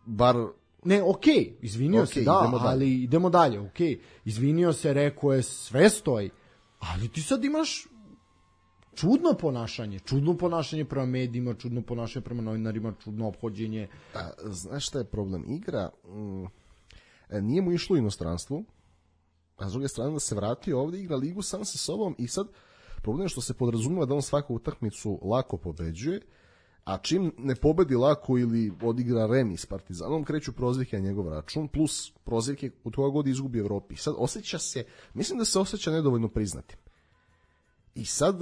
bar... Ne, okej, izvinio se, da, ali idemo dalje, okej. Izvinio se, rekao je, sve stoji, ali ti sad imaš čudno ponašanje prema medijima, čudno ponašanje prema novinarima, čudno ophođenje. Znaš šta je problem? Igra nije mu išlo u inostranstvu, a s druge strane da se vratio ovdje, igra ligu sam sa sobom i sad problem je što se podrazumijeva da on svaku utakmicu lako pobeđuje, a čim ne pobedi lako ili odigra remi s Partizanom, kreću prozivke na njegov račun, plus prozivke od koga god izgubi Evropi. Sad osjeća se, mislim da se osjeća nedovoljno priznatim. I sad,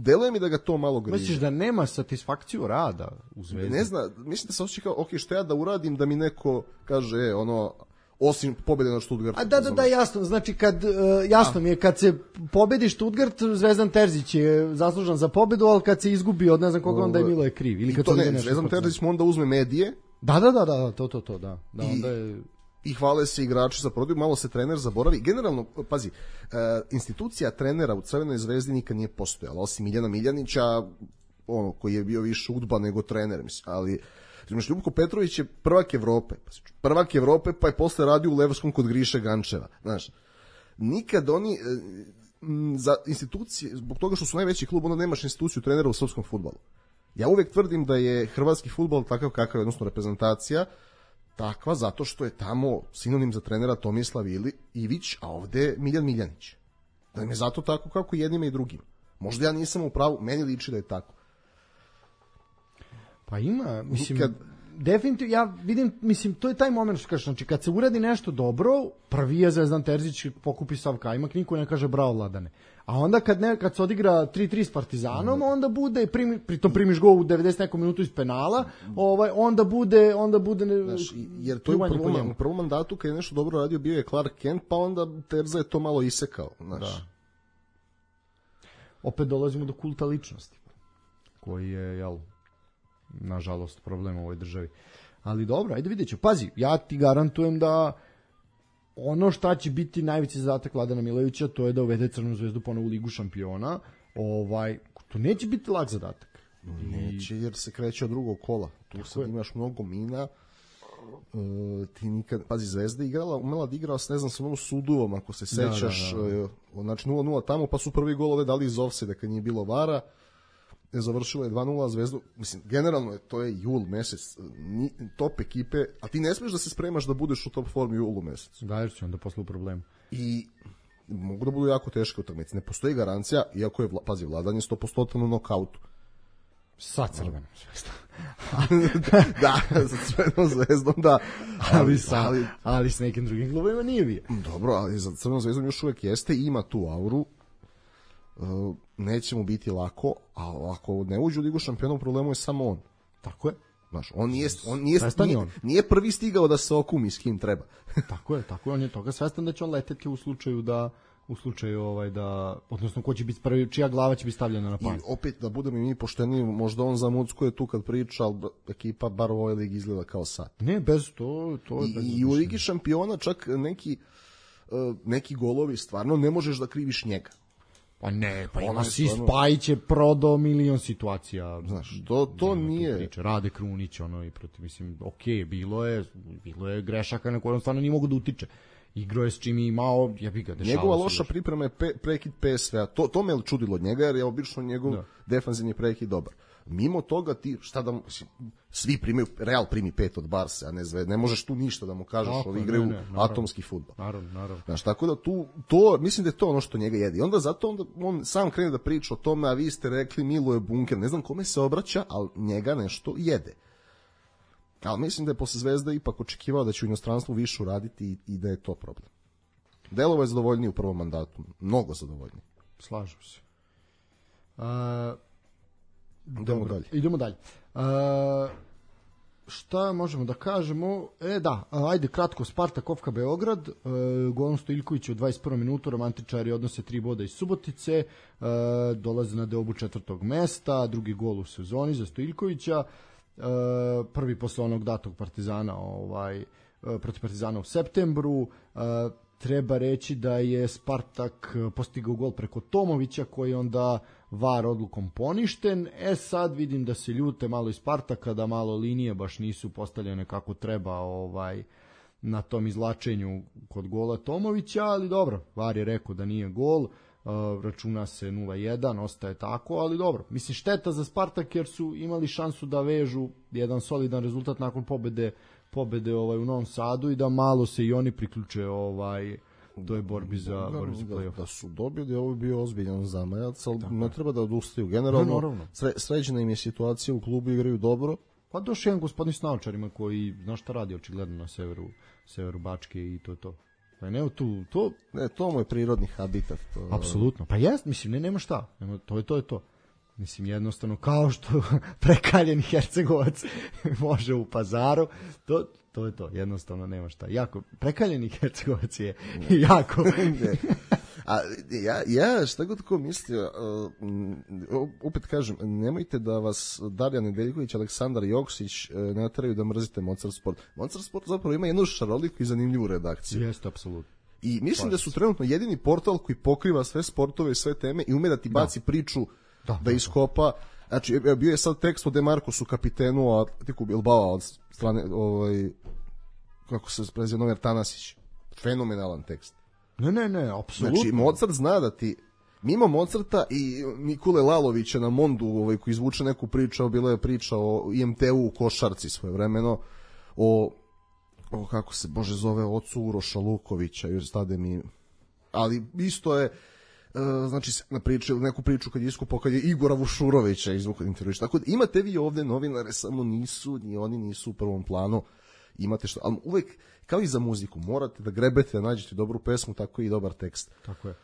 deluje mi da ga to malo griže. Misliš da nema satisfakciju rada u Zvezdi? Ne znam, mislim da se osjeća kao, što ja da uradim da mi neko kaže, osim pobjede na Stuttgartu. Da, jasno. Znači, jasno mi je, kad se pobedi Stuttgart, Zvezdan Terzić je zaslužan za pobjedu, ali kad se izgubi od ne znam koga, onda je Milo je kriv. Ili kad to ne, Zvezdan Terzić mu onda uzme medije. Da, to, da. Onda je... I hvale se igrači za prodaju, malo se trener zaboravi. Generalno, pazi, institucija trenera u Crvenoj Zvezdi nikad nije postojala, osim Miljana Miljanića, koji je bio više udba nego trener, mislim, ali Ljubko Petrović je prvak Evrope, pa je posle radio u Levskom kod Griše Gančeva, znaš. Nikad oni za institucije, zbog toga što su najveći klub, onda nemaš instituciju trenera u srpskom fudbalu. Ja uvek tvrdim da je hrvatski fudbal takav kakav je, odnosno reprezentacija takva zato što je tamo sinonim za trenera Tomislav Ivić, a ovde Miljan Miljanić. Da im je zato tako kako jednima i drugima. Možda ja nisam u pravu, meni liči da je tako. Pa ima, mislim, definitivno, ja vidim, mislim, to je taj moment što kažeš, znači kad se uradi nešto dobro, prvi je Zvezdan Terzić pokupi sav kajmak, niko ne kaže bravo Vladane. A onda kad se odigra 3-3 s Partizanom, onda bude, pritom primiš gol u 90 nekom minutu iz penala, onda bude znaš, jer to je u prvom mandatu kad je nešto dobro radio bio je Clark Kent, pa onda Terza je to malo isekao, znaš. Da. Opet dolazimo do kulta ličnosti, koji je, nažalost, problem u ovoj državi. Ali dobro, ajde vidjet ću. Pazi, ja ti garantujem da ono šta će biti najveći zadatak Vladana Milovića, to je da uvede Crvenu Zvezdu ponovo u Ligu šampiona. To neće biti lak zadatak. Neće, jer se kreće od drugog kola. Tu sad imaš mnogo mina. Ti nikad, pazi, Zvezda umela da igrala ne znam, sa onom Suduvom, ako se sećaš, znači 0-0 tamo, pa su prvi golove dali iz ofsajda kad nije bilo vara. Završilo je 2-0 Zvezdu, mislim, generalno to je jul mesec, top ekipe, a ti ne smiješ da se spremaš da budeš u top formi u julu mesecu. Da, jer si onda posle u problemu. I mogu da budu jako teške utakmice. Ne postoji garancija, iako je, pazi, Vladan je 100% u nokautu. Sa Crvenom Zvezdom. Da, sa Crvenom Zvezdom, da. Ali s nekim drugim klubovima nije bio. Dobro, ali za Crvenom Zvezdom još uvek jeste i ima tu auru. Neće mu biti lako, a ako ne uđe u Ligu šampiona, problemu je samo on. Tako je. Znaš, on nije prvi stigao da se okumi s kim treba. Tako je, on je toga svestan da će on leteti u slučaju da odnosno ko će biti prvi, čija glava će biti stavljena na pan. I opet da budemo mi pošteni, možda on za Mucko je tu kad priča, ali ekipa bar u ovoj ligi izgleda kao sad. Ne, bez to I u Ligi šampiona čak neki golovi stvarno ne možeš da kriviš njega. Pa ne, pa Ono ima je si stvarno- Spajić je prodao milion situacija. Znaš, to Nema tu nije... priče. Rade Krunić, ono, i protiv, mislim, okej, bilo je grešaka na koje on stvarno nije mogu da utiče. Igrao je s čim je imao, ja bih ga dešavao. Njegova se loša još. priprema je prekid PSV-a. To me čudilo od njega, jer je obično njegov defanzivni prekid dobar. Mimo toga ti, šta da mu, svi primaju, Real primi 5 od Barse, a ne Zvezda. Ne možeš tu ništa da mu kažeš, Tako, ovi igraju naravno. atomski fudbal. Naravno. Znaš, tako da mislim da je to ono što njega jedi. Onda on sam krene da priča o tome, a vi ste rekli Miluje bunker. Ne znam kome se obraća, ali njega nešto jede. Ali mislim da je posle Zvezda ipak očekivao da će u inostranstvu više uraditi i da je to problem. Delovo je zadovoljniji u prvom mandatu. Mnogo zadovoljniji. Slažem se. Idemo dalje. Šta možemo da kažemo? Ajde kratko, Spartak Ofka Beograd, golom Stojiljković u 21. minutu, romantičari odnose 3 boda iz Subotice, dolaze na deobu 4. mesta, drugi gol u sezoni za Stojiljkovića, prvi posle onog datog Partizana protiv Partizana u septembru. Treba reći da je Spartak postigao gol preko Tomovića, koji je onda VAR odlukom poništen. Sad vidim da se ljute malo iz Spartaka, da malo linije baš nisu postavljene kako treba na tom izlačenju kod gola Tomovića, ali dobro, VAR je rekao da nije gol, računa se 0-1, ostaje tako, ali dobro. Mislim, šteta za Spartak jer su imali šansu da vežu jedan solidan rezultat nakon pobede u Novom Sadu i da malo se i oni priključe toj borbi za play-off. Da su dobili, ovo bi bio ozbiljan zamajac, ali ne treba da odustaju. Generalno, sređena im je situacija u klubu, igraju dobro. Pa došao jedan gospodin s naočarima koji, znaš šta radi očigledno na severu Bačke i to. Pa ne, to mu je prirodni habitat. Apsolutno, pa jest, mislim, nema šta, to je to. Mislim, jednostavno, kao što prekaljeni Hercegovac može u Pazaru, to je to, jednostavno nema šta. Prekaljeni Hercegovac je jako... Ja šta god ko mislio, opet kažem, nemojte da vas Darjan Nedeljković, Aleksandar Joksić nateraju da mrzite Mozart Sport. Mozart Sport zapravo ima jednu šaroliku i zanimljivu redakciju. Jeste, apsolutno. I mislim da su trenutno jedini portal koji pokriva sve sportove i sve teme i ume da ti baci priču da iskopa. Znači, bio je sad tekst o Demarcosu, kapitenu Atletiku Bilbao od strane, kako se prezio, Nomer Tanasić. Fenomenalan tekst. Ne, apsolutno. Znači, Mozart zna da ti, mimo Mozarta i Nikole Lalovića na Mondu, koji izvuče neku priču, bila je priča o IMT-u u košarci svojevremeno, kako se, Bože, zove, ocu Uroša Lukovića, još stade mi, ali isto je, znači, neku priču kad je iskupao, kad je Igora Vušurovića izvukao intervjuš. Tako da imate vi ovde novinare, samo oni nisu u prvom planu, imate što, ali uvek, kao i za muziku, morate da grebete, da nađete dobru pesmu, tako i dobar tekst. Tako je.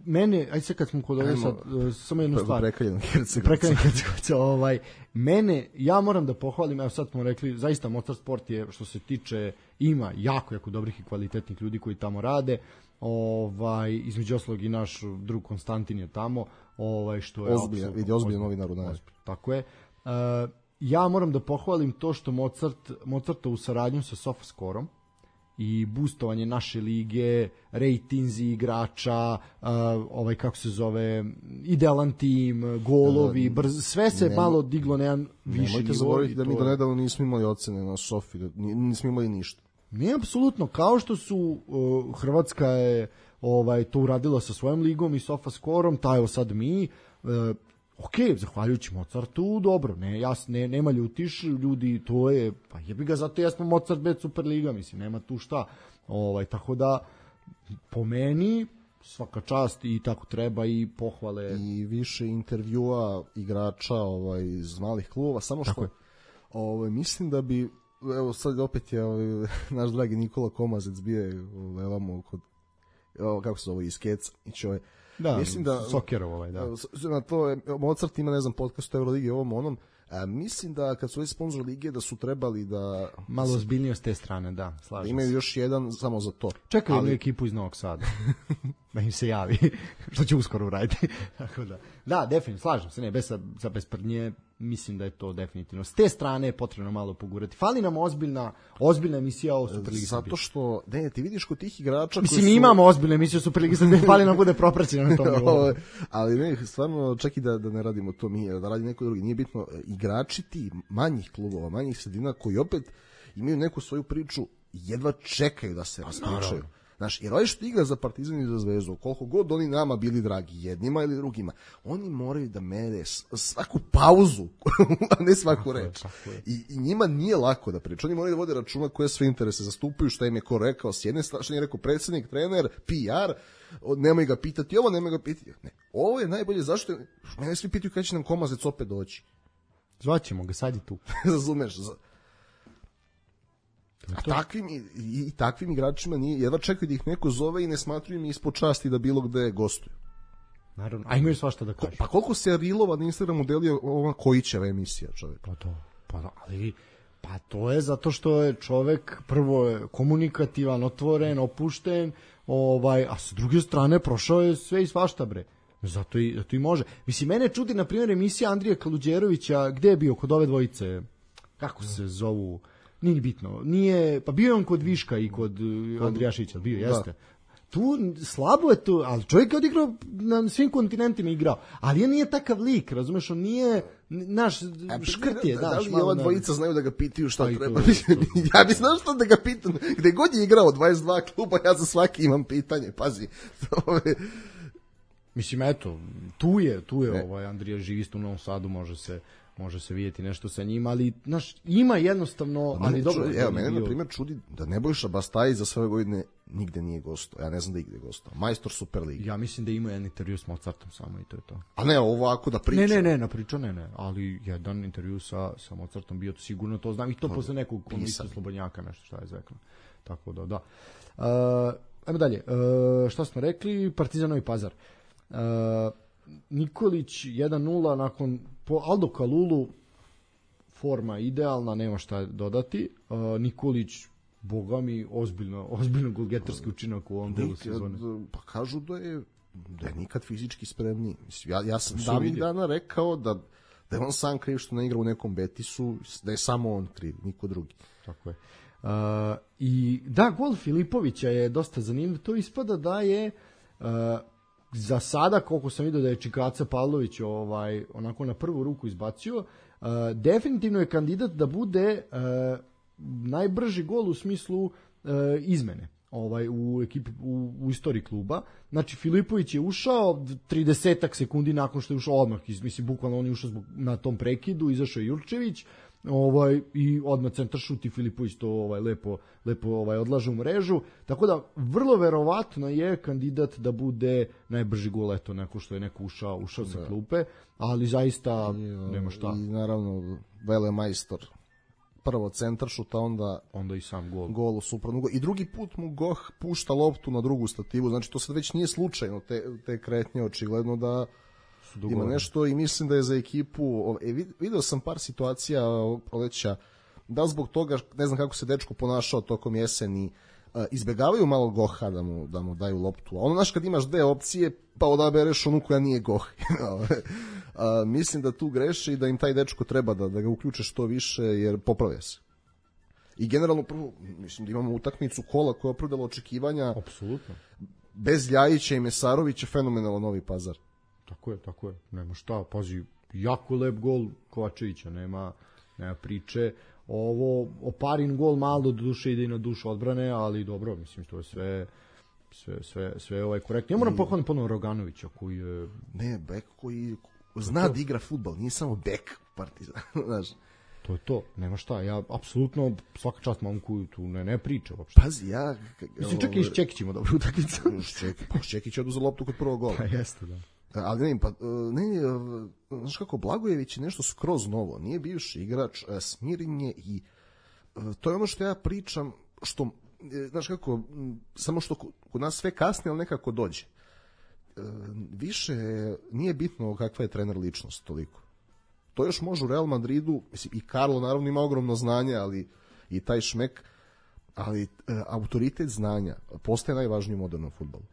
Mene, ajde sad kad smo kod ovdje sad, samo jednu stvar. Prekaljenog Hercegovca. Ja moram da pohvalim, evo sad smo rekli, zaista Mozart Sport je, što se tiče, ima jako dobrih i kvalitetnih ljudi koji tamo rade. Između ostalog i naš drug Konstantin je tamo, što je ozbiljan novinar u nas. Tako je. Ja moram da pohvalim to što Mozarta u saradnju sa SofaScore-om i boostovanje naše lige, rejtinzi igrača, kako se zove, idealan tim, golovi, sve se malo diglo na jedan viši nivo. Nemojte zaboraviti da mi do nedavno nismo imali ocene na Sofi, nismo imali ništa. Ne, apsolutno, kao što su Hrvatska je to uradila sa svojom ligom i SofaScore-om, evo sad mi, zahvaljujući Mozartu, dobro, nema ljutiš, ljudi, to je, pa jebi ga, zato jesmo Mozart bez Superliga, mislim, nema tu šta, tako da, po meni, svaka čast i tako treba i pohvale. I više intervjua igrača iz malih klubova, samo što, mislim da bi, evo sad opet je naš dragi Nikola Komazec bio je kod, kako se zove, iz Keca, da, mislim da Sokerov na to je, Mozart ima, ne znam, podcast Euroligi ovom onom, Mislim da kad su ovi sponzor lige da su trebali da malo ozbiljnije s te strane, da, slažem da imaju se. još jedan samo za to. Čekaju jednu ekipu iz Novog Sada da im se javi, što će uskoro uraditi. Tako da, definitivno, slažem se, ne, bez prdnje, mislim da je to definitivno. S te strane je potrebno malo pogurati. Fali nam ozbiljna emisija o Superligi Srbije. Zato što, ne, ti vidiš kod tih igrača mislim, mi imamo ozbiljnu emisiju o Superligi Srbije, fali nam bude propraćeno na tom nivou. Ali ne, stvarno, čak i da ne radimo to mi, da radi neko drugi. Nije bitno, igrači ti manjih klubova, manjih sredina koji opet imaju neku svoju priču, jedva čekaju da se raspričaju. Znaš, jer ovaj što igra za Partizan i za Zvezdu, koliko god oni nama bili dragi, jednima ili drugima, oni moraju da mere svaku pauzu, a ne svaku reč. I njima nije lako da priča. Oni moraju da vode računa koje sve interese zastupaju, šta im je ko rekao s jedne strane, šta im je rekao predsjednik, trener, PR, nemoj ga pitati ovo, nemoj ga pitati. Ne, ovo je najbolje, zašto? Mene svi pitaju kada će nam Komazec opet doći. Zvaćemo ga, sad je tu. Razumeš? Takvim igračima nije, jedva čekaju da ih neko zove i ne smatruju mi ispod časti da bilo gde gostuju. Naravno, a imaju svašta da kažu. Pa koliko se Rilova na Instagramu delio ova Kojićeva emisija, čovjek? Pa to je zato što je čovjek prvo komunikativan, otvoren, opušten, a sa druge strane prošao je sve i svašta, bre. Zato i može. Mislim, mene čudi, na primjer, emisija Andrija Kaluđerovića, gde je bio kod ove dvojice, kako se zovu, nije bitno, pa bio je on kod Viška i kod Andrijašića, bio, jeste. Tu slabo je to, ali čovjek je odigrao na svim kontinentima igrao, ali on nije takav lik, razumeš, on nije naš škrt je. Da li ova dvojica znaju da ga pitaju šta treba? Ja bi znao što da ga pitam, gde god je igrao 22 kluba, ja za svaki imam pitanje, pazi. Mislim, eto, tu je Andrija živi isto u Novom Sadu, može se vidjeti nešto sa njima, ali ima jednostavno, ali dobro. Evo, mene na primjer čudi da Nebojša Bastajić za sve godine nigde nije gostao. Ja ne znam da igde gostao. Majstor Superligi. Ja mislim da ima jedan intervju s Mozartom samo i to je to. A ne, ovako da priča. Ne, na priča ne, ali jedan intervju sa Mozartom bio, sigurno to znam, i to posle nekog komisija Slobodnjaka, nešto šta je zekla. Tako da. Ajmo dalje. Šta smo rekli? Partizan Novi Pazar. Nikolić 1-0 nakon po Aldo Kalulu, forma idealna, nema šta dodati. Nikolić, boga mi, ozbiljno golgetarski učinak u ovom delu sezone. Pa kažu da je nikad fizički spremniji. Ja sam davnih dana rekao da je on sam kriv što ne igra u nekom Betisu, da je samo on kriv, niko drugi. Tako je. I da, gol Filipovića je dosta zanimljiv. To ispada da je za sada, koliko sam vidio da je Čikaca Pavlović onako na prvu ruku izbacio, definitivno je kandidat da bude najbrži gol u smislu izmene u ekipi, u istoriji kluba. Znači, Filipović je ušao 30 sekundi nakon što je ušao odmah, mislim, bukvalno on je ušao na tom prekidu, izašao je Jurčević, i odmah centar šut i Filipović to lepo odlaže u mrežu, tako da vrlo verovatno je kandidat da bude najbrži gol, eto, neko što je neko ušao sa klupe, ali zaista nema šta. I naravno velemajstor, prvo centar šut, onda i sam gol u suprotnu gol. I drugi put mu Goh pušta loptu na drugu stativu, znači to sad već nije slučajno, te kretnje, očigledno da ima nešto, i mislim da je za ekipu, video sam par situacija proleća, da zbog toga, ne znam kako se dečko ponašao tokom jeseni, izbegavaju malo Goha da mu daju loptu, a ono, znaš, kad imaš dve opcije, pa odabereš onu koja nije Goh. Mislim da tu greše i da im taj dečko treba da ga uključe što više, jer popravlja se. I generalno, prvo, mislim da imamo utakmicu kola koja je opravdala očekivanja. Apsolutno. Bez Ljajića i Mesarovića, fenomenalno Novi Pazar. Tako je, nema šta, pazi, jako lep gol Kovačevića, nema priče. Ovo, Oparin gol malo do duše ide i na dušu odbrane, ali dobro, mislim, to je sve korektno. Ja moram pohvaliti ponovno Roganovića, koji je... Ne, bek koji zna da igra fudbal, nije samo bek Partizan, znaš. To je to, nema šta, ja apsolutno svaka čast momku tu ne priča uopšte. Pazi, ja... Mislim, čak i s Čekićima dobro utakmicu. Čekić je oduzeo loptu kod prvog gola. Pa jeste, da. Ali znaš kako, Blagojević je nešto skroz novo, nije bivši igrač, smiren je, i to je ono što ja pričam, što, znaš kako, samo što kod nas sve kasni, ali nekako dođe. Više nije bitno kakva je trener ličnost toliko. To još može u Real Madridu, mislim, i Carlo naravno ima ogromno znanje, ali i taj šmek, ali autoritet znanja postaje najvažniji u modernom fudbalu.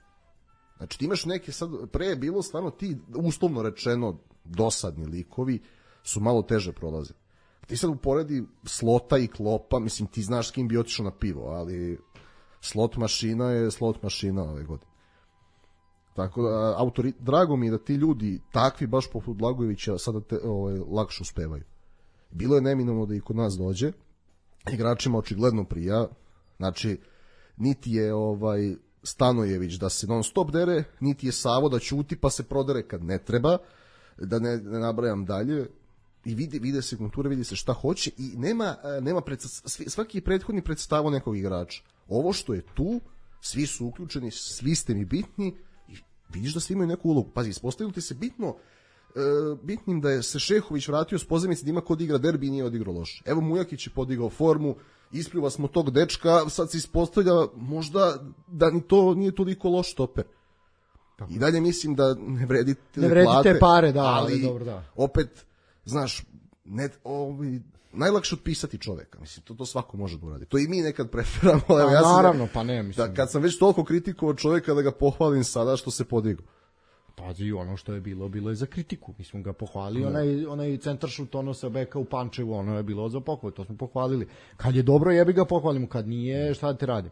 Znači ti imaš neke sad, pre je bilo stvarno ti, uslovno rečeno, dosadni likovi su malo teže prolaze. Ti sad uporedi Slota i Klopa, mislim ti znaš s kim bi otišao na pivo, ali slot mašina je slot mašina ove godine. Tako da, drago mi je da ti ljudi, takvi baš poput Blagojevića, sada lakše uspevaju. Bilo je neminovno da i kod nas dođe, igračima očigledno prija, znači, niti je Stanojević da se non stop dere, niti je Savo da ćuti pa se prodere kad ne treba, da ne nabrajam dalje, i vide se konture, vidi se šta hoće i nema svaki prethodni predstavo nekog igrača. Ovo što je tu, svi su uključeni, svi ste mi bitni i vidiš da svi imaju neku ulogu. Pazi, ispostavilo ti se bitnim da je se Šehović vratio s pozemice da ima kod igra derbi i nije odigrao loše. Evo Mujakić je podigao formu, ispljuva smo tog dečka, sad se ispostavlja možda da ni to nije toliko loš stoper. Tako. I dalje mislim da ne vredi te pare, da, ali dobro, da. Opet, znaš, najlakše otpisati čoveka, mislim, to svako može da uradi. To i mi nekad preferamo. Naravno, pa ne, mislim. Da, kad sam već toliko kritikovao čoveka da ga pohvalim sada što se podigao. Pazi, ono što je bilo je za kritiku. Mi smo ga pohvalili, onaj centaršut sa beka u Pančevu, ono je bilo za pohvalu, to smo pohvalili. Kad je dobro, jebi ga pohvalimo, kad nije, šta da te radim.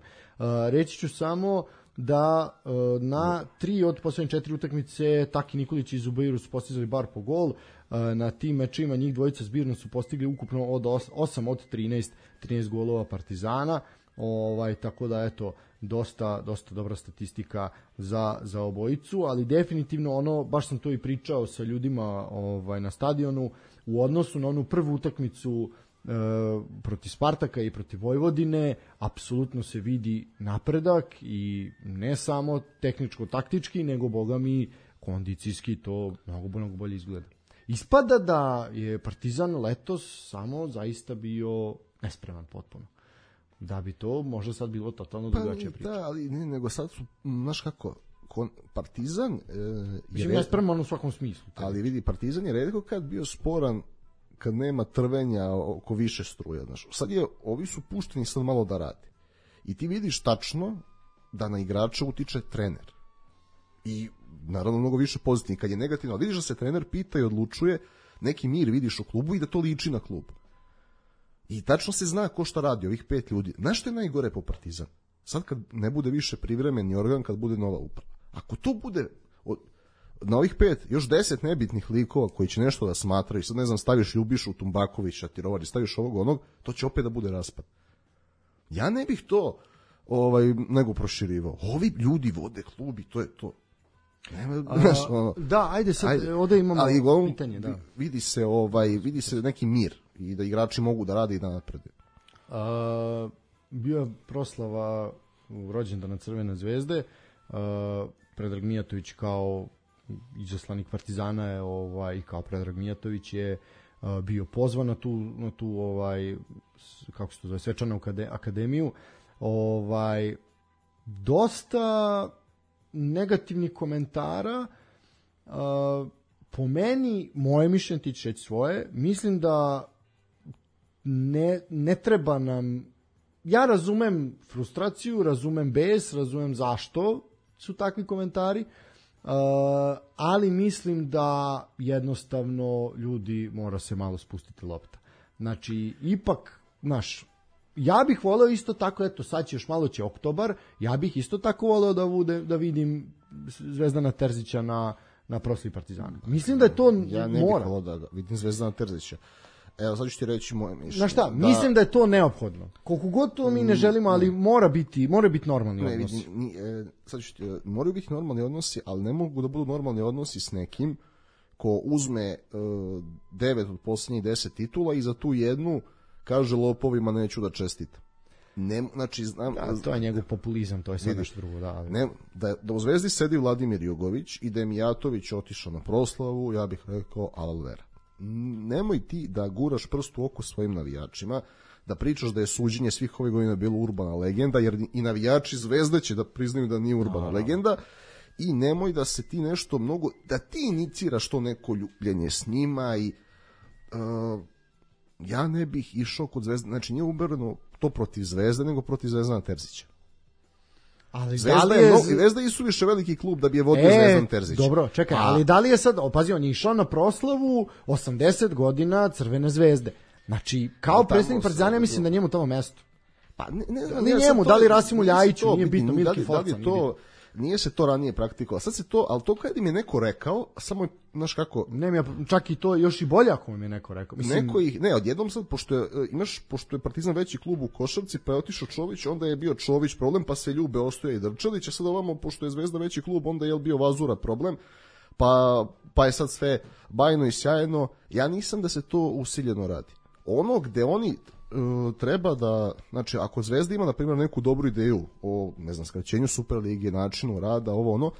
Reći ću samo da na 3 od poslednje 4 utakmice Taki Nikolić i Zubairu su postizali bar po gol. Na tim mečima njih dvojica zbirno su postigli ukupno od 8 od 13 golova Partizana. Tako da eto, dosta dobra statistika za obojicu, ali definitivno baš sam to i pričao sa ljudima na stadionu, u odnosu na onu prvu utakmicu protiv Spartaka i protiv Vojvodine, apsolutno se vidi napredak i ne samo tehničko-taktički, nego boga mi kondicijski to mnogo bolje izgleda. Ispada da je Partizan letos samo zaista bio nespreman potpuno. Da bi to možda sad bilo totalno drugačija priča. Da, ali ne, nego sad su, znaš kako, Partizan je nespreman u svakom smislu. Ali vidi, Partizan je retko kad bio sporan kad nema trvenja oko više struja. Znaš. Sad ovi su pušteni sad malo da radi. I ti vidiš tačno da na igrača utiče trener. I naravno mnogo više pozitivno. Kad je negativno, vidiš da se trener pita i odlučuje, neki mir vidiš u klubu i da to liči na klub. I tačno se zna ko šta radi, ovih 5 ljudi. Znaš što je najgore po Partizan? Sad kad ne bude više privremeni organ, kad bude nova uprava. Ako to bude na ovih 5, još 10 nebitnih likova koji će nešto da smatraju, sad ne znam, staviš Ljubišu, Tumbakovića, Tirovari, staviš ovog onog, to će opet da bude raspad. Ja ne bih to nego proširivao. Ovi ljudi vode klub i to je to. Da, ajde sad, ovde imamo pitanje. Da. Vidi se neki mir i da igrači mogu da rade i da naprede. Bio je proslava rođendana Crvene zvezde. Predrag Mijatović kao izaslanik Partizana je i kao Predrag Mijatović je bio pozvan na tu kako se to zove, svečanu akademiju. Dosta negativnih komentara. Po meni, moje mišljenje, ti ćeš reći svoje, mislim da ne treba nam, ja razumem frustraciju, razumem bes, razumem zašto su takvi komentari, ali mislim da jednostavno ljudi mora se malo spustiti lopta. Znači, ipak, ja bih voleo isto tako, eto sad će još malo će oktobar, ja bih isto tako voleo da vidim Zvezdana Terzića na proslavi Partizana. Mislim da je to ja ne bih voleo da vidim Zvezdana Terzića. Evo, sad ću ti reći moje mišljenje. Znaš šta, mislim da je to neophodno. Koliko god to mi ne želimo, ali mora biti normalni odnosi. Sad ću ti, moraju biti normalni odnosi, ali ne mogu da budu normalni odnosi s nekim ko uzme 9 od posljednjih 10 titula i za tu jednu kaže lopovima neću da čestitam. Znači, znam, to je njegov populizam, to je sve nešto drugo. Da u Zvezdi sedi Vladimir Jugović i da je Mijatović otišao na proslavu, ja bih rekao alvera. Nemoj ti da guraš prst u oko svojim navijačima, da pričaš da je suđenje svih ovih godina bilo urbana legenda, jer i navijači Zvezde će da priznaju da nije urbana legenda, i nemoj da se ti nešto mnogo, da ti iniciraš to neko ljubljenje s njima i ja ne bih išao kod Zvezde, znači nije ubereno to protiv Zvezde, nego protiv Zvezdana Terzića. Ali Zvezda je suviše veliki klub da bi je vodio Zvezdan Terzić. Dobro, čekaj, ali da li je sad, pazi, on je išao na proslavu 80 godina Crvene Zvezde. Znači, kao predsjednik Partizana, ja mislim da njemu tamo mesto. Pa ne njemu, da li Rasimu Ljajiću, nije bitno, Milki Forca. Nije se to ranije praktikovalo. Sad se to, ali to kad im je neko rekao, samo je, znaš kako... Ne, čak i to još i bolje ako mi je neko rekao. Mislim... Odjednom sad, pošto je Partizan veći klub u košarci, pa je otišao Čović, onda je bio Čović problem, pa se ljube Ostoja i Drčelić, a sad ovamo, pošto je Zvezda veći klub, onda je bio Vazura problem, pa je sad sve bajno i sjajno. Ja nisam da se to usiljeno radi. Ono gde oni treba da, znači ako Zvezda ima na primjer neku dobru ideju o, ne znam, skraćenju Superlige, načinu rada, ovo ono,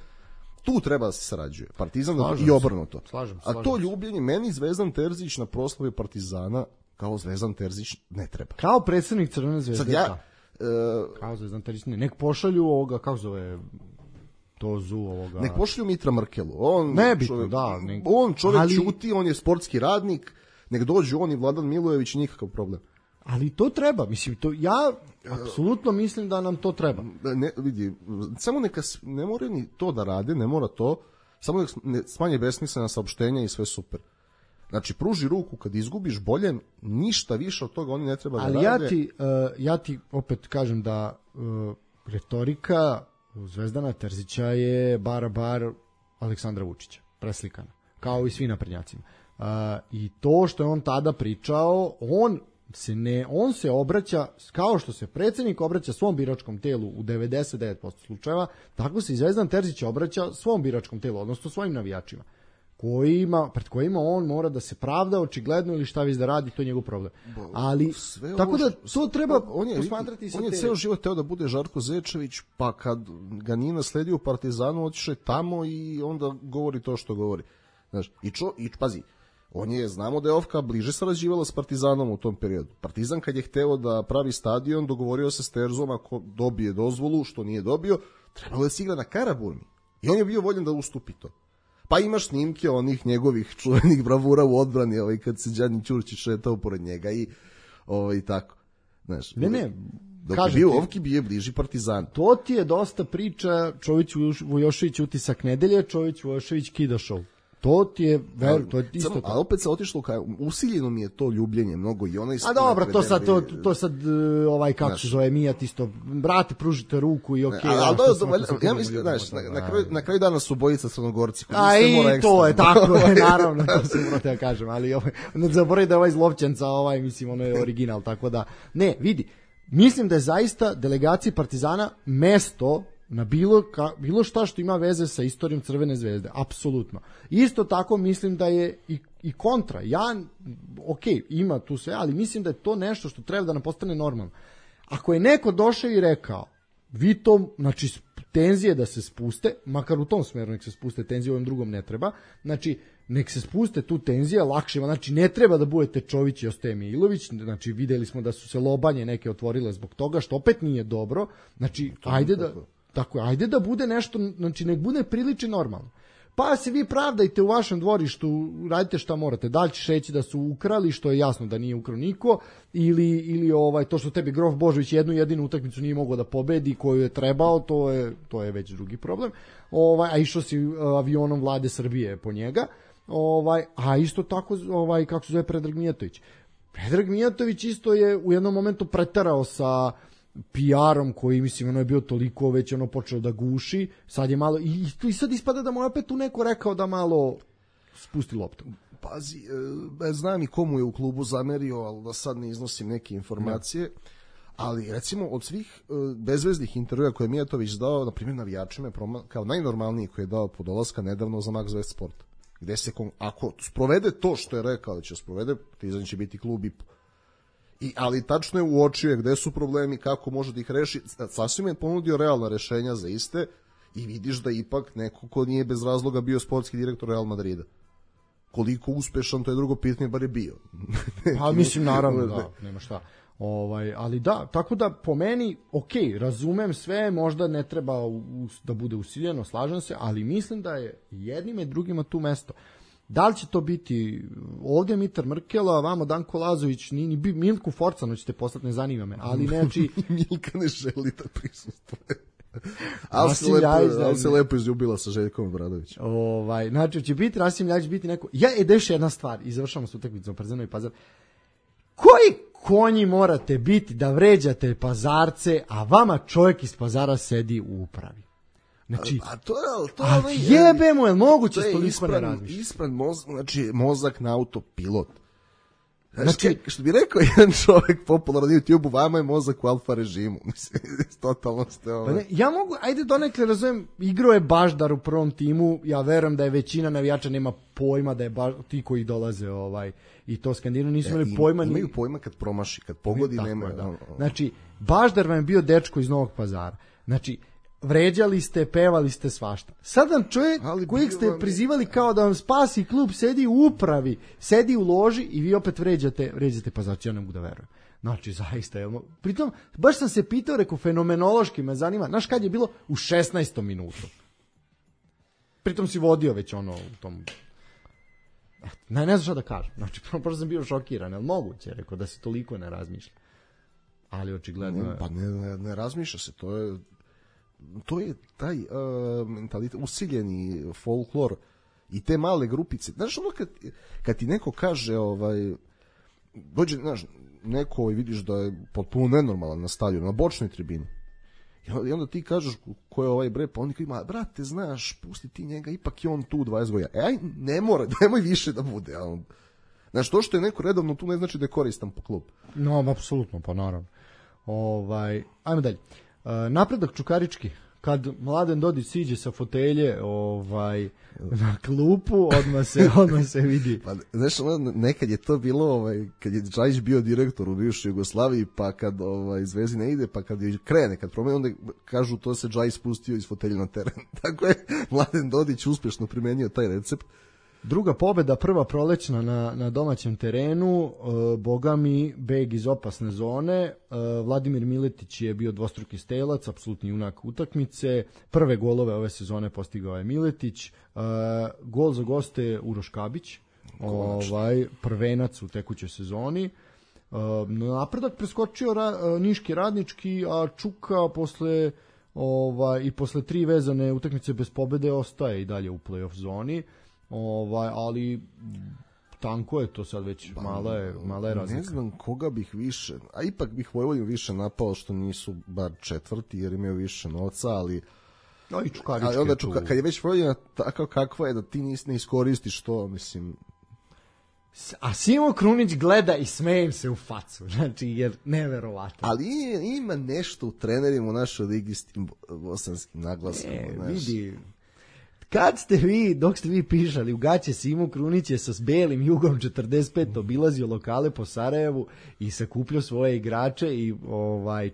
tu treba da se sarađuje. Partizan i obrnuto. A to ljubljenje, meni Zvezdan Terzić na proslavi Partizana kao Zvezdan Terzić ne treba. Kao predsjednik Crvene Zvezde. Sad kao Zvezdan Terzić ne. Nek pošalju ovoga, kako zove ovoga. Nek pošalju Mitra Mrkelu. On čovjek čuti, on je sportski radnik, nek dođu on i Vladan Milojević, nikakav problem. Ali to treba, mislim, to ja apsolutno mislim da nam to treba. Ne, vidi, samo neka, ne mora ni to da rade, ne mora to, samo nek smanje besmislena saopštenja i sve super. Znači, pruži ruku kad izgubiš, bolje, ništa više od toga oni ne treba da rade. Ali ja ti opet kažem da retorika Zvezdana Terzića je bar Aleksandra Vučića, preslikana, kao i svi naprednjacima. I to što je on tada pričao, on se obraća, kao što se predsjednik obraća svom biračkom telu u 99% slučajeva, tako se i Zvezdan Terzić obraća svom biračkom telu, odnosno svojim navijačima, pred kojima on mora da se pravda očigledno ili šta već da radi, to je njegov problem. Ali, tako da to treba posmatrati sa on je ceo život teo da bude Žarko Zečević, pa kad ga nije nasledio u Partizanu, otišao je tamo i onda govori to što govori. Znaš, i pazi, znamo da je Ofka bliže sarađivala s Partizanom u tom periodu. Partizan kad je hteo da pravi stadion, dogovorio se s Terzom, ako dobije dozvolu, što nije dobio, trebalo je se igra na Karaburmi. I on je bio voljen da ustupi to. Pa imaš snimke onih njegovih čuvenih bravura u odbrani, kad se Đani Ćurčić šetao pored njega i tako. Znaš, dok je bio Ofki, bio je bliži Partizan. To ti je dosta priča, Čović Vujošević utisak nedelje, Čović Vujošević kida show. To ti je, to je isto tako. A opet se otišlo, usiljeno mi je to ljubljenje mnogo i ona A dobro, to sad kako se zove, Mijat isto, brate, pružite ruku i okej. Ja mislim, znaš, na kraju dana su bojica Crnogorci. A i to je tako, naravno, to se morate da kažem, ali ne zaboravi da je ovaj Zlovčanca, mislim, ono je original, tako da, ne, vidi, mislim da je zaista delegaciji Partizana mesto na bilo šta što ima veze sa istorijom Crvene Zvezde, apsolutno. Isto tako mislim da je i kontra. Ima tu sve, ali mislim da je to nešto što treba da nam postane normalno. Ako je neko došao i rekao, vi to, znači, tenzije da se spuste, makar u tom smeru nek se spuste tenzije, u ovom drugom ne treba, znači, nek se spuste tu tenzije, lakše, znači, ne treba da budete Čović i Ostoje Milović, znači, videli smo da su se lobanje neke otvorile zbog toga, što opet nije dobro, znači, ajde da bude nešto, znači nek bude priliči normalno. Pa se vi pravdajte u vašem dvorištu, radite šta morate, da li ćeš reći da su ukrali, što je jasno da nije ukrao niko, ili to što tebi Grof Božović jednu jedinu utakmicu nije mogao da pobedi koju je trebao, to je već drugi problem, a išao si avionom Vlade Srbije po njega, a isto tako, kako se zove Predrag Mijatović. Predrag Mijatović isto je u jednom momentu preterao sa PR-om koji, mislim, ono je bio toliko već počeo da guši, sad je malo, i sad ispada da mu je opet tu neko rekao da malo spusti loptu. Pazi, znam i komu je u klubu zamerio, ali da sad ne iznosim neke informacije, ali recimo od svih bezveznih intervjua koje je Mijatović dao, na primjer navijačima, kao najnormalniji koji je dao po dolaska nedavno za Max West Sport, gde se, ako sprovede to što je rekao da će sprovede, Partizan će biti klub ali tačno je uočio gde su problemi, kako može da ih reši, sasvim je ponudio realna rešenja za iste i vidiš da ipak neko ko nije bez razloga bio sportski direktor Real Madrida. Koliko uspešan, to je drugo pitanje, bar je bio. Pa mislim, naravno, da, nema šta. Ali da, tako da po meni, razumem sve, možda ne treba da bude usiljeno, slažem se, ali mislim da je jednim i drugima tu mesto. Da li će to biti ovdje Mitar Mrkela, vamo Danko Lazović, ni Milku Forcanu ćete poslati, ne zanima me, ali znači... Milka ne želi da prisustuje. Ali se lepo izljubila sa Željkom Obradovićem. Znači, će biti Rasim Ljajić, biti neko... Deš jedna stvar, i završamo s utakmicom Partizan i Pazar. Koji konji morate biti da vređate Pazarce, a vama čovjek iz Pazara sedi u upravi? Znači, jebe mu, je moguće s toliko ne razmišljati? Ispran mozak, znači mozak na autopilot. Znači, što bi rekao jedan čovjek popularno na YouTube-u, vama je mozak u alfa režimu. Mislim, totalno ste ja mogu, ajde donekle razumijem, igrao je Baždar u prvom timu, ja verujem da je većina navijača nema pojma da je ti koji dolaze i to Skandinu nisu imali pojma. Imaju pojma kad promaši, kad pogodi nema. Znači, Baždar vam je bio dečko iz Novog Pazara. Znači, vređali ste, pevali ste svašta. Sad vam čovjek kojeg ste prizivali kao da vam spasi klub sedi u upravi, sedi u loži i vi opet vređate Pazarci, ja ne mogu da verujem. Znači, zaista, pritom, baš sam se pitao, rekao, fenomenološki me zanima, znaš kad je bilo? U 16. minutu. Pritom si vodio već u tom... Ne znam šta da kažem. Znači, prosto sam bio šokiran, ali moguće, rekao, da se toliko ne razmišlja. Ali očigledno... Pa ne razmišlja se, to je taj mentalitet, usiljeni folklor i te male grupice. Znaš, kad ti neko kaže, dođe, znaš, neko i vidiš da je potpuno nenormalan na stadionu, na bočnoj tribini. I onda ti kažeš ko je ovaj bre, pa oni ima, brate, znaš, pusti ti njega, ipak je on tu 20 godina. Aj, nemoj više da bude. Znaš, to što je neko redovno tu ne znači da je koristan po klub. No, apsolutno, pa naravno. Ajmo dalje. Napredak Čukarički, kad Mladen Dodić siđe sa fotelje na klupu, odmah se vidi. Pa, znaš, nekad je to bilo, kad je Džajić bio direktor u bivšoj Jugoslaviji, pa kad Zvezdi ne ide, pa kad je krene, kad promeni, onda kažu to se Džajić spustio iz fotelje na teren. Tako je Mladen Dodić uspješno primenio taj recept. Druga pobjeda, prva prolećna na domaćem terenu, boga mi, beg iz opasne zone, Vladimir Miletić je bio dvostruki stelac, apsolutni junak utakmice, prve golove ove sezone postigao je Miletić, gol za goste Uroš Kabić, prvenac u tekućoj sezoni, napredak preskočio Niški Radnički, a Čuka posle tri vezane utakmice bez pobjede ostaje i dalje u play-off zoni. Ali tanko je to sad već, mala je razlika. Ne znam koga bih više, a ipak bih Vojvodinu više napao što nisu bar četvrti jer imaju više novca, ali onda kad je već Vojvodina tako kakva je da ti ne iskoristiš to, mislim. A Simo Krunić gleda i smejem se u facu, znači jer neverovatno. Ali ima nešto u trenerima u našoj ligi s tim bosanskim naglaskom. Vidi, dok ste vi pišali, u gaće Simo Krunić je sa belim Jugom 45 obilazio lokale po Sarajevu i sakupljao svoje igrače i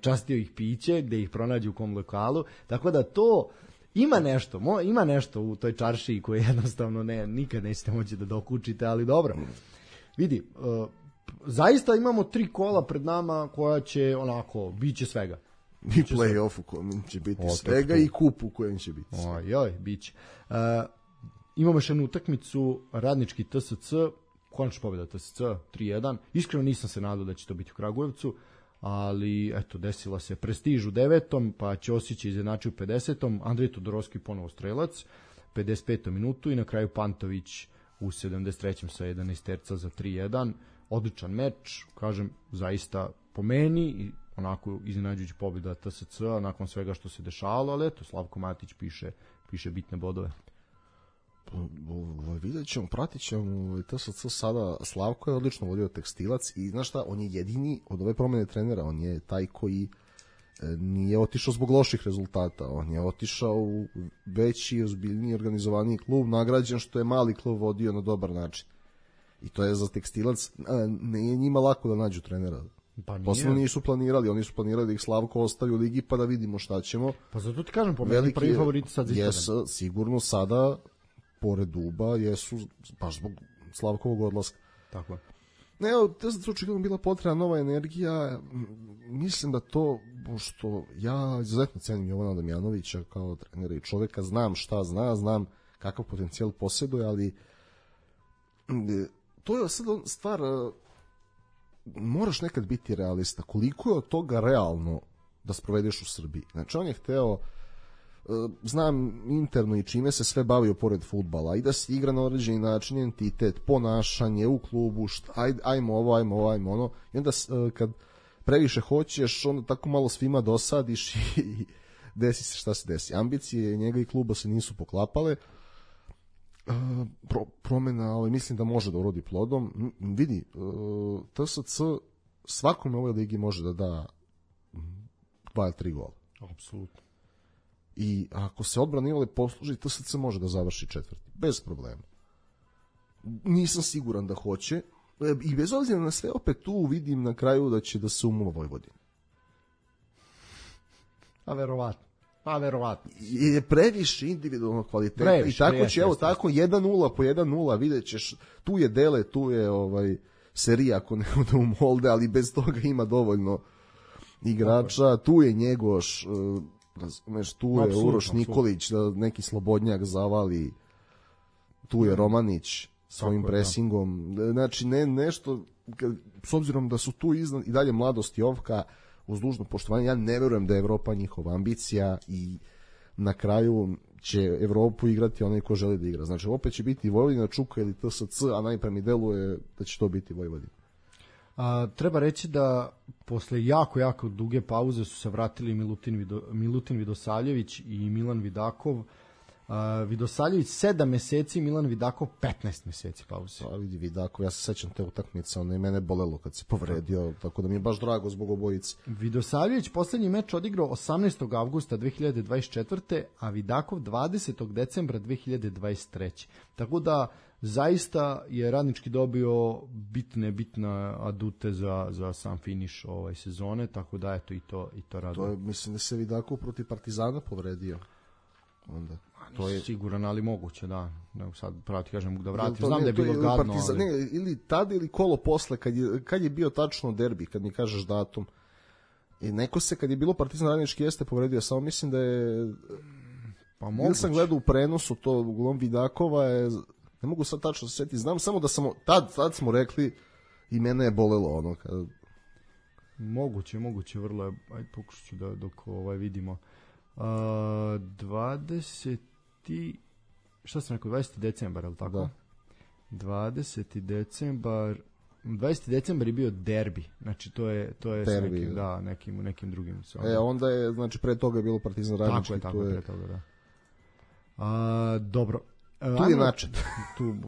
častio ih piće gde ih pronađu u kom lokalu, tako da to ima nešto u toj čaršiji koje jednostavno nikad nećete moći da dokučite, ali dobro. Vidi, zaista imamo 3 kola pred nama koja će bit će svega. I play-off u kojem će biti svega i kup u kojem će biti. Bit će. Imamo još jednu utakmicu, Radnički TSC, konačna pobjeda TSC, 3-1. Iskreno nisam se nadao da će to biti u Kragujevcu, ali eto, desila se Prestiž u 9. pa Ćosić je izjednačio u 50. Andrej Todorovski ponovo strelac, 55. minutu i na kraju Pantović u 73. sa 11 terca za 3-1. Odličan meč, kažem, zaista po meni i onako iznenađujući pobjeda TSC nakon svega što se dešavalo, ali eto, Slavko Matić piše bitne bodove. Vidjet ćemo, pratit ćemo TSC sada. Slavko je odlično vodio Tekstilac i znaš šta, on je jedini od ove promjene trenera, on je taj koji nije otišao zbog loših rezultata, on je otišao u veći, ozbiljniji, organizovaniji klub, nagrađen što je mali klub vodio na dobar način. I to je za Tekstilac, nije njima lako da nađu trenera. Posebno nisu planirali, oni su planirali da ih Slavko ostavi u ligi pa da vidimo šta ćemo. Pa zato ti kažem, po meni prvi favoriti sad za jesu, sigurno sada, pored Duba, jesu baš zbog Slavkovog odlaska. Tako je. To je očigledno bila potrebna nova energija. Mislim da to, što ja izuzetno cenim Jovana Damjanovića kao trenera i čoveka, znam šta znam kakav potencijal posjeduje, ali to je sad stvar, moraš nekad biti realista. Koliko je od toga realno da sprovedeš u Srbiji? Znači, on je hteo, znam interno i čime se sve bavio pored fudbala, i da se igra na određeni način, entitet, ponašanje u klubu, ajmo ovo, ajmo ono, i onda kad previše hoćeš, onda tako malo svima dosadiš i desi se šta se desi. Ambicije njega i kluba se nisu poklapale. Promena, mislim da može da urodi plodom. Vidi, TSC svakome u ovoj ligi može da da 2 ili 3 gola. Apsolutno. I ako se odbrana Ivale posluži, TSC može da završi 4. Bez problema. Nisam siguran da hoće. I bez obzira na sve, opet tu vidim na kraju da će da se umuva Vojvodina. A verovatno. Je previše individualnog kvaliteta i tako će, evo tako 1-0 po 1-0, vidjet ćeš, tu je Dele, tu je Serija ako ne ode u Molde, ali bez toga ima dovoljno igrača, tu je Njegoš, tu je Uroš Nikolić, da neki slobodnjak zavali, tu je Romanić svojim presingom, znači nešto, s obzirom da su tu iznad i dalje Mladost i Jovka, uz dužno poštovanje, ja ne verujem da je Evropa njihova ambicija i na kraju će Evropu igrati onaj ko želi da igra. Znači, opet će biti Vojvodina, Čuka ili TSC, a najpre mi deluje da će to biti Vojvodina. Treba reći da posle jako duge pauze su se vratili Milutin Vidosavljević i Milan Vidakov. Vidosavljević 7 meseci, Milan Vidakov 15 meseci pauze. Vidi Vidakov, ja se sećam te utakmice, ono je mene bolelo kad se povredio, tako da mi je baš drago zbog obojice. Vidosavljević poslednji meč odigrao 18. avgusta 2024. a Vidakov 20. decembra 2023. Tako da zaista je Radnički dobio bitne adute za sam finiš sezone, tako da eto i to raduje. To je, mislim da se Vidakov protiv Partizana povredio. Onda to je siguran, ali moguće, da. Ne, sad pravo ti kažem da vrati. Znam da je bilo gadno. Ili tada ili kolo posle, kad je bio tačno derbi, kad mi kažeš datum. I neko se, kad je bilo Partizan Radnički, jeste povredio, samo mislim da je... Pa moguće. Ili sam gledao u prenosu to, uglavnom Vidakova je... Ne mogu sad tačno se setiti, znam samo da sam... Tad smo rekli i mene je bolelo ono. Moguće, vrlo je... Ajde, pokušat ću da dok vidimo... 20. Šta sam rekao, 20. decembar, ali tako? Da. 20. decembar je bio derbi, znači to je derbi, nekim drugim. Onda je, znači pre toga je bilo Partizan Radnički. Tako je, pre toga, da. Dobro. Tu je način.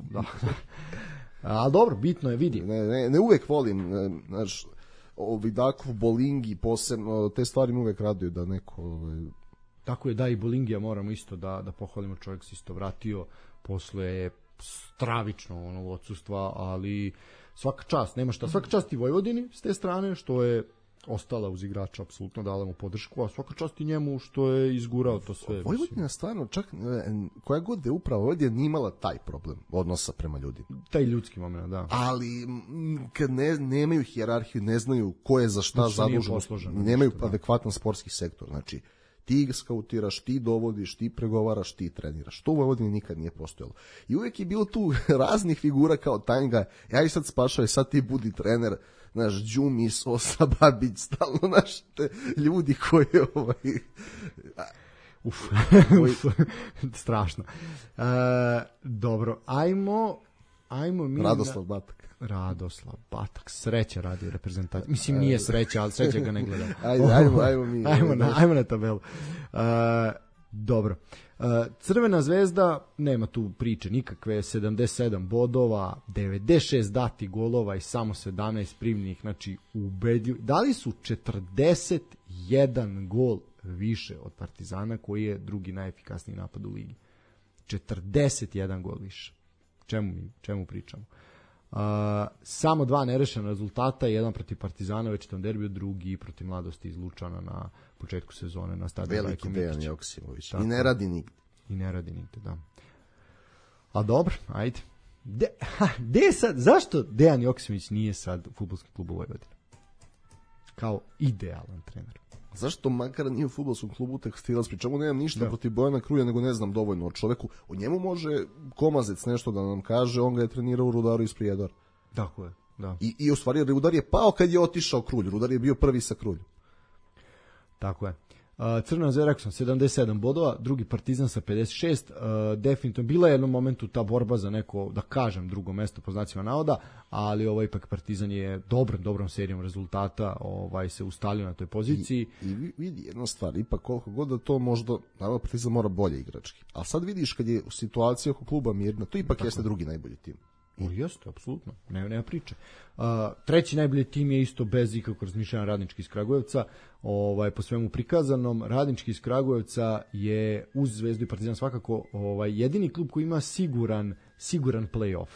Da. Ali dobro, bitno je, vidi. Ne uvek volim, znači, Vidakov, Bolingi, posebno, te stvari mi uvek raduju da neko... Tako je, da, i Bolingija moramo isto da pohvalimo, čovjek se isto vratio posle stravično odsustva, ali svaka čast, nema šta, svaka čast i Vojvodini s te strane, što je ostala uz igrača, apsolutno dala mu podršku, a svaka čast i njemu što je izgurao to sve. Vojvodina stvarno, čak koja god je upravo Vojvodina nije imala taj problem odnosa prema ljudima. Taj ljudski moment, da. Ali kad nemaju hijerarhiju, ne znaju ko je za šta zadužen, nemaju adekvatan sportski sektor, znači ti skautiraš, ti dovodiš, ti pregovaraš, ti treniraš. To u Vojvodini nikad nije postojalo. I uvijek je bilo tu raznih figura kao Tanjga, ja i sad spašao, sad ti budi trener, naš Đumi, Sosa, Babić, stalno naš ljudi koji strašno. Dobro, ajmo mi... Radoslav Batak, sreća radi u reprezentaciji. Mislim, nije sreća, ali sreća ga ne gleda. Ajmo mi. Ajmo na tabelu. Dobro. Crvena zvezda, nema tu priče nikakve, 77 bodova, 96 dati golova i samo 17 primljenih, znači ubedljivo. Dali su 41 gol više od Partizana, koji je drugi najefikasniji napad u ligi. 41 gol više. Čemu pričamo? Samo 2 nerešena rezultata, jedan protiv Partizana u večitom derbiju, drugi protiv Mladosti iz Lučana na početku sezone na stadionu Veliki Dejan Joksimović. I ne radi nigde. Da. A dobro, ajde. Zašto Dejan Joksimović nije sad u fudbalskom klubu Vojvodina? Kao idealan trener. Zašto makar nije u fudbalskom klubu Tekstilac, pri čemu nemam ništa protiv Bojana Krulja, nego ne znam dovoljno o čoveku. O njemu može Komazec nešto da nam kaže, on ga je trenirao u Rudaru iz Prijedora. Tako je, da. I u stvari Rudar je pao kad je otišao Krulj, Rudar je bio prvi sa Kruljom. Tako je. Crvena Zvezda, rekao sam, 77 bodova, drugi Partizan sa 56, definitivno bila je jednom momentu ta borba za neko, da kažem, drugo mesto po znacima navoda, ali ipak Partizan je dobrom serijom rezultata se ustalio na toj poziciji. I vidi jedna stvar, ipak koliko god da to možda, naravno Partizan mora bolje igrački, ali sad vidiš kad je situacija oko kluba mirna, to ipak jeste drugi najbolji tim. Jeste, apsolutno, nema priče. Treći najbolji tim je isto bez ikakvog razmišljanja Radnički iz Kragujevca, po svemu prikazanom. Radnički iz Kragujevca je uz Zvezdu i Partizan svakako jedini klub koji ima siguran play-off.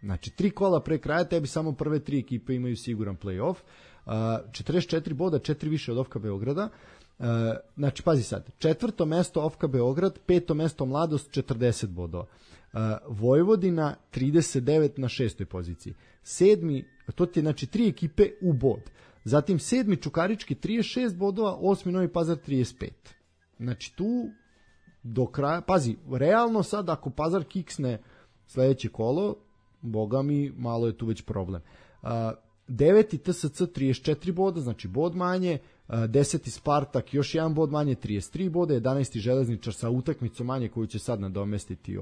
Znači 3 kola pre kraja, tebi samo prve 3 ekipe imaju siguran play-off. 44 boda, 4 više od OFK Beograda. Znači pazi sad, 4. mesto OFK Beograd, 5. mesto Mladost 40 bodova. Vojvodina 39 na 6. poziciji. 7. to ti je znači 3 ekipe u bod. Zatim 7. Čukarički 36 bodova, 8. Novi Pazar 35. Znači tu do kraja, pazi, realno sad ako Pazar kiksne sledeće kolo, boga mi, malo je tu već problem. 9. TSC 34 boda, znači bod manje, 10. Spartak još jedan bod manje, 33 boda, 11. Železničar sa utakmicom manje koju će sad nadomestiti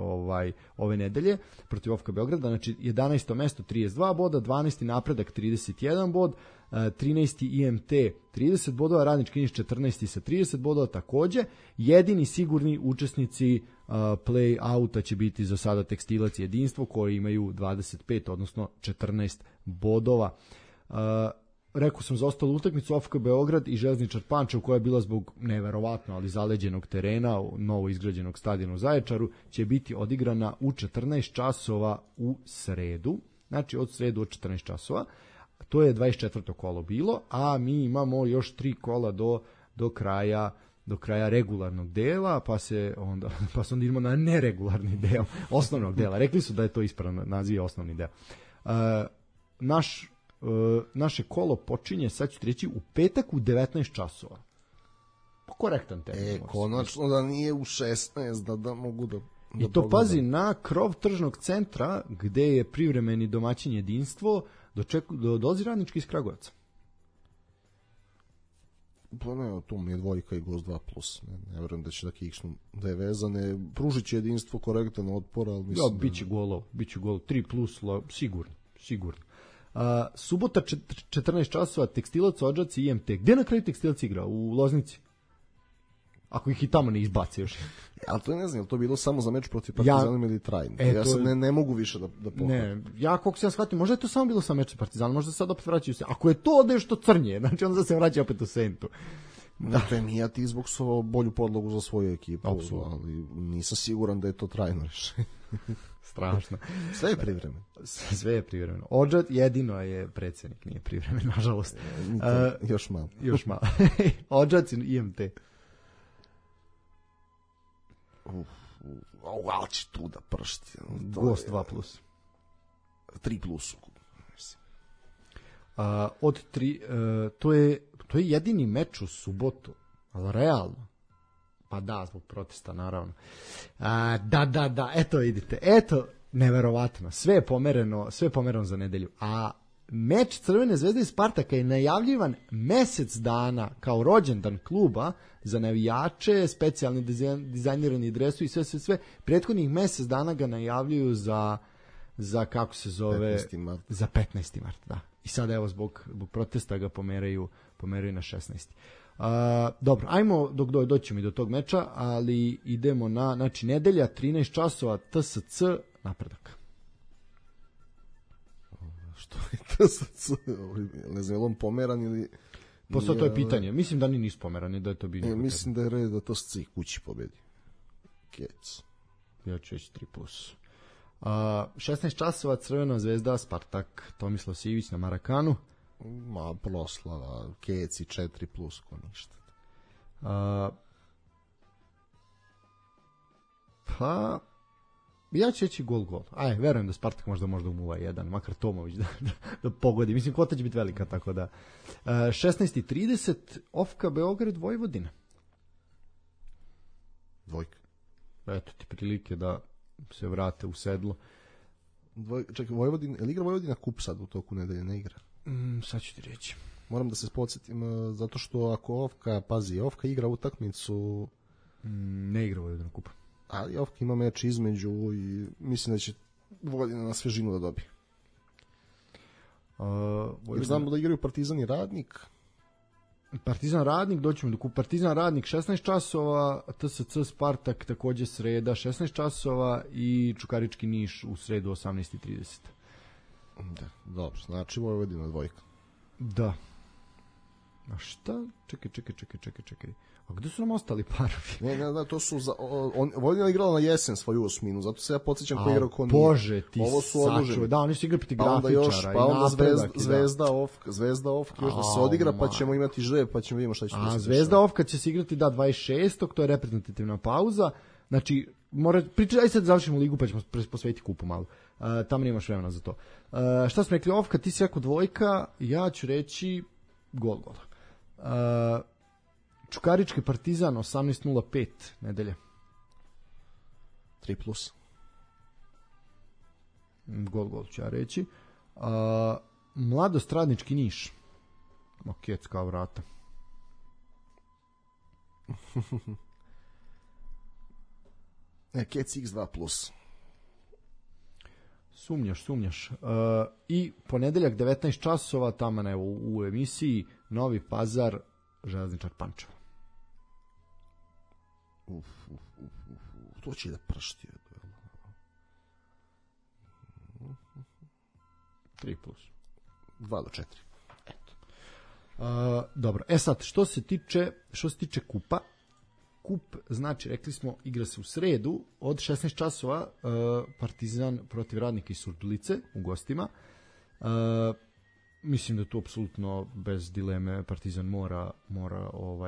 ove nedelje protiv OFK Beograda, znači 11. mesto 32 boda, 12. Napredak 31 bod, 13. IMT 30 bodova, Radnički Niš 14. sa 30 bodova takođe. Jedini sigurni učesnici play-outa će biti za sada Tekstilac i Jedinstvo koji imaju 25, odnosno 14 bodova. Rekao sam za ostalu utakmicu OFK Beograd i Železničar Pančevo koja je bila zbog neverovatno ali zaleđenog terena novo izgrađenog stadiona u Zaječaru će biti odigrana u 14 časova u sredu, znači od sredu od 14 časova. To je 24. kolo bilo, a mi imamo još 3 kola do kraja regularnog dela, pa se onda idemo na neregularni deo osnovnog dela. Rekli su da je to ispravno naziv osnovni deo. Naše kolo počinje, sad ću ti reći, u petak u 19 časova. Korektan termin. Konačno da nije u 16, da mogu da i to pazi na krov tržnog centra gde je privremeni domaćin Jedinstvo dolazi Radnički iz Kragujevca. Pa ne, tu mi je dvojka i gost 2+. Ne verujem da će da kiksnu, da je vezane. Pružit će Jedinstvo korektan otpor, ali mislim... biće golov, 3+, sigurno. Subota 14 časova, Tekstilac, Odžaci i IMT. Gde na kraju Tekstilac igra? U Loznici? Ako ih i tamo ne izbace još. Ali to ne znam, je to bilo samo za meč protiv Partizana ili trajno? Ja sad ne mogu više da pohvatim. Ne, ja koliko se ja shvatim, možda je to samo bilo sa mečem Partizana, možda sad opet vraćaju se. Ako je to nešto crnje, znači onda se vraća opet u sentu. Dakle, nije ti zbog svoju bolju podlogu za svoju ekipu, ali nisam siguran da je to trajno rešenje. Strašno. Sve je privremeno. Sve je privremeno. Odžat jedino je predsednik, nije privremen, nažalost. Još malo. Odžat i IMT. Ali će tu da pršti. Gost 2+. 3+. Od 3, to je jedini meč u subotu, ali realno. Pa da, zbog protesta, naravno. Da, eto vidite, neverovatno, sve je pomereno za nedelju. A meč Crvene zvezde i Spartaka je najavljivan mesec dana kao rođendan kluba za navijače, specijalni dizajnirani dresu i sve. Prethodnih mesec dana ga najavljuju za kako se zove... 15. mart. Za 15. mart, da. I sad evo zbog protesta ga pomeraju na 16. Dobro, ajmo doći mi do tog meča, ali idemo na, znači, nedelja 13 časova TSC Napredak. Što je TSC? Ne znam, je li on pomeran ili... Posle to je pitanje. Mislim da nisu pomerani, da je to bilo. Mislim da je red da TSC kući pobedi. Kec. Ja ću reći 3+. 16 časova Crvena zvezda Spartak, Tomislav Sivić na Marakanu. Proslava, Keci 4+, ko ništa. Pa Ja ću reći gol. Verujem da Spartak možda u 0-1, makar Tomović da pogodi. Mislim, kvota će biti velika, tako da. 16:30, Ofka Beograd Vojvodina. Dvojka. Eto ti prilike da se vrate u sedlo. Čekaj, Vojvodina, ili igra Vojvodina kup sad u toku nedelje, ne igra? Sad ću ti reći. Moram da se podsjetim, zato što ako Ofka igra utakmicu... Ne igra Vojvodina kup. Ali Ofka ima meč između i mislim da će Vojvodina na svežinu da dobije. Jer znamo da igraju Partizan i Radnik. Partizan Radnik, doćemo do kupa. Partizan Radnik 16 časova, TSC Spartak takođe sreda 16 časova i Čukarički Niš u sredu 18:30. Da, dobro, znači Vojvodina dvojka. Da. A šta? Čekaj. A gde su nam ostali parovi? Ne, to su Vojvodina igrala na jesen svoju osminu, zato se ja podsjećam ko igrao ko nije. Bože, ti ovo su odloženi. Da, oni su igrali protiv Grafičara. Pa onda Zvezda Ofka još da se odigra, pa ćemo imati žreb, pa ćemo vidimo šta će se desiti. Zvezda Ofka će se igrati 26. To je reprezentativna pauza. Znači, aj sad završimo ligu, pa ćemo posvetiti kupu malo. Tamo nemaš vremena za to. Šta smo rekli, Ofka, ti si rekao dvojka, ja ću reći gol. Čukarički Partizan 18:05 nedelje. 3+. Gol ću ja reći. Mladost Radnički Niš. Makec kao vrata. Kec X2+. Sumnjaš. I ponedeljak 19 časova, tamo u emisiji Novi Pazar, Železničar Pančevo. To će da pršti. 3+. 2-4. Eto. Dobro, sad, što se tiče kupa, kup, znači, rekli smo, igra se u sredu od 16 časova, Partizan protiv Radnika iz Surdulice u gostima. Mislim da tu apsolutno bez dileme Partizan mora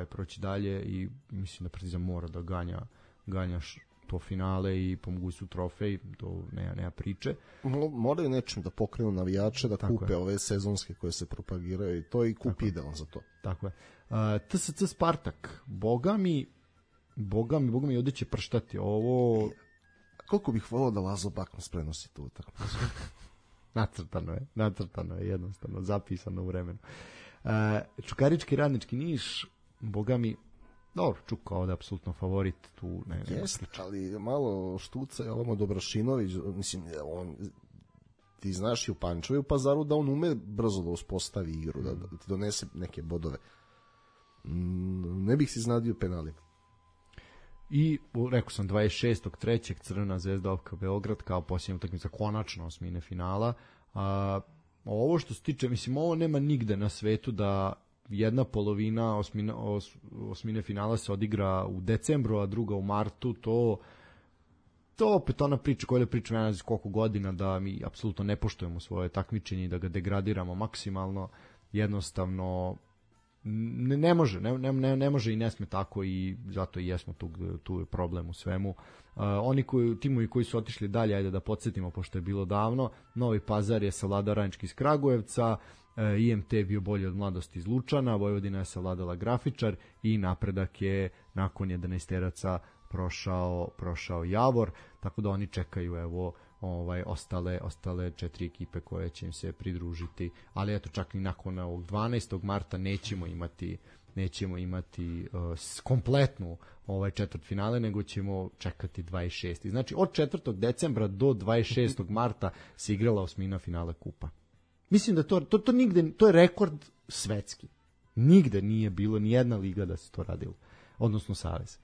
proći dalje i mislim da Partizan mora da ganja to finale i pomogu su trofej, to nema priče. Moraju nečim da pokrenu navijače, da tako kupe ove sezonske koje se propagiraju i to je i kup idealan za to. Tako je. TSC Spartak, Boga mi ovdje će prštati ovo. Koliko bih volao da Lazo Bakmas prenosi tu utakmicu. Nacrtano je jednostavno, zapisano u vremenu. Čukarički Radnički Niš, Boga mi, dobro, Čuka ovdje apsolutno favorit tu. Jeste, ali malo štuca je ovamo Dobrašinović, mislim, ti znaš i u Pančevu i u Pazaru da on ume brzo da uspostavi igru, da ti donese neke bodove. Ne bih si znadio penalima. I rekao sam 26.3. Crvena Zvezda Ofka Beograd kao posljednja utakmica, konačno osmine finala. Ovo što se tiče, mislim, ovo nema nigde na svetu da jedna polovina osmine finala se odigra u decembru, a druga u martu. To opet ona priča koja priča ne znam koliko godina da mi apsolutno ne poštujemo svoje takmičenje i da ga degradiramo maksimalno. Jednostavno ne može i ne sme tako i zato i jesmo tu je problem u svemu. Timovi koji su otišli dalje, ajde da podsjetimo pošto je bilo davno, Novi Pazar je savladao Radnički iz Kragujevca, IMT je bio bolji od Mladosti iz Lučana, Vojvodina je savladala Grafičar i napredak je nakon 11 prošao Javor, tako da oni čekaju ostale 4 ekipe koje će im se pridružiti, ali eto čak i nakon ovog 12. marta nećemo imati kompletnu četvrtfinale, nego ćemo čekati 26. Znači od 4. decembra do 26. marta se igrala osmina finale kupa. Mislim da to nigde, to je rekord svetski. Nigde nije bilo ni jedna liga da se to radilo, odnosno savez.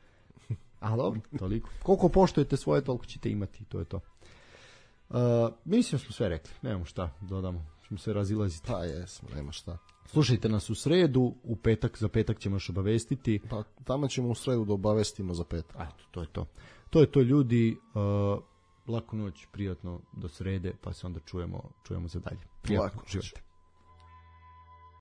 Ali dobro, toliko. Koliko poštujete svoje, toliko ćete imati, to je to. Mislim smo sve rekli, nemamo šta dodamo, ćemo se razilaziti. Pa jesmo, nema šta. Slušajte nas u sredu, za petak ćemo još obavestiti. Pa tamo ćemo u sredu da obavestimo za petak. Eto, to je to. To je to, ljudi. Laku noć, prijatno do srede, pa se onda čujemo za dalje. Prijatno, živite.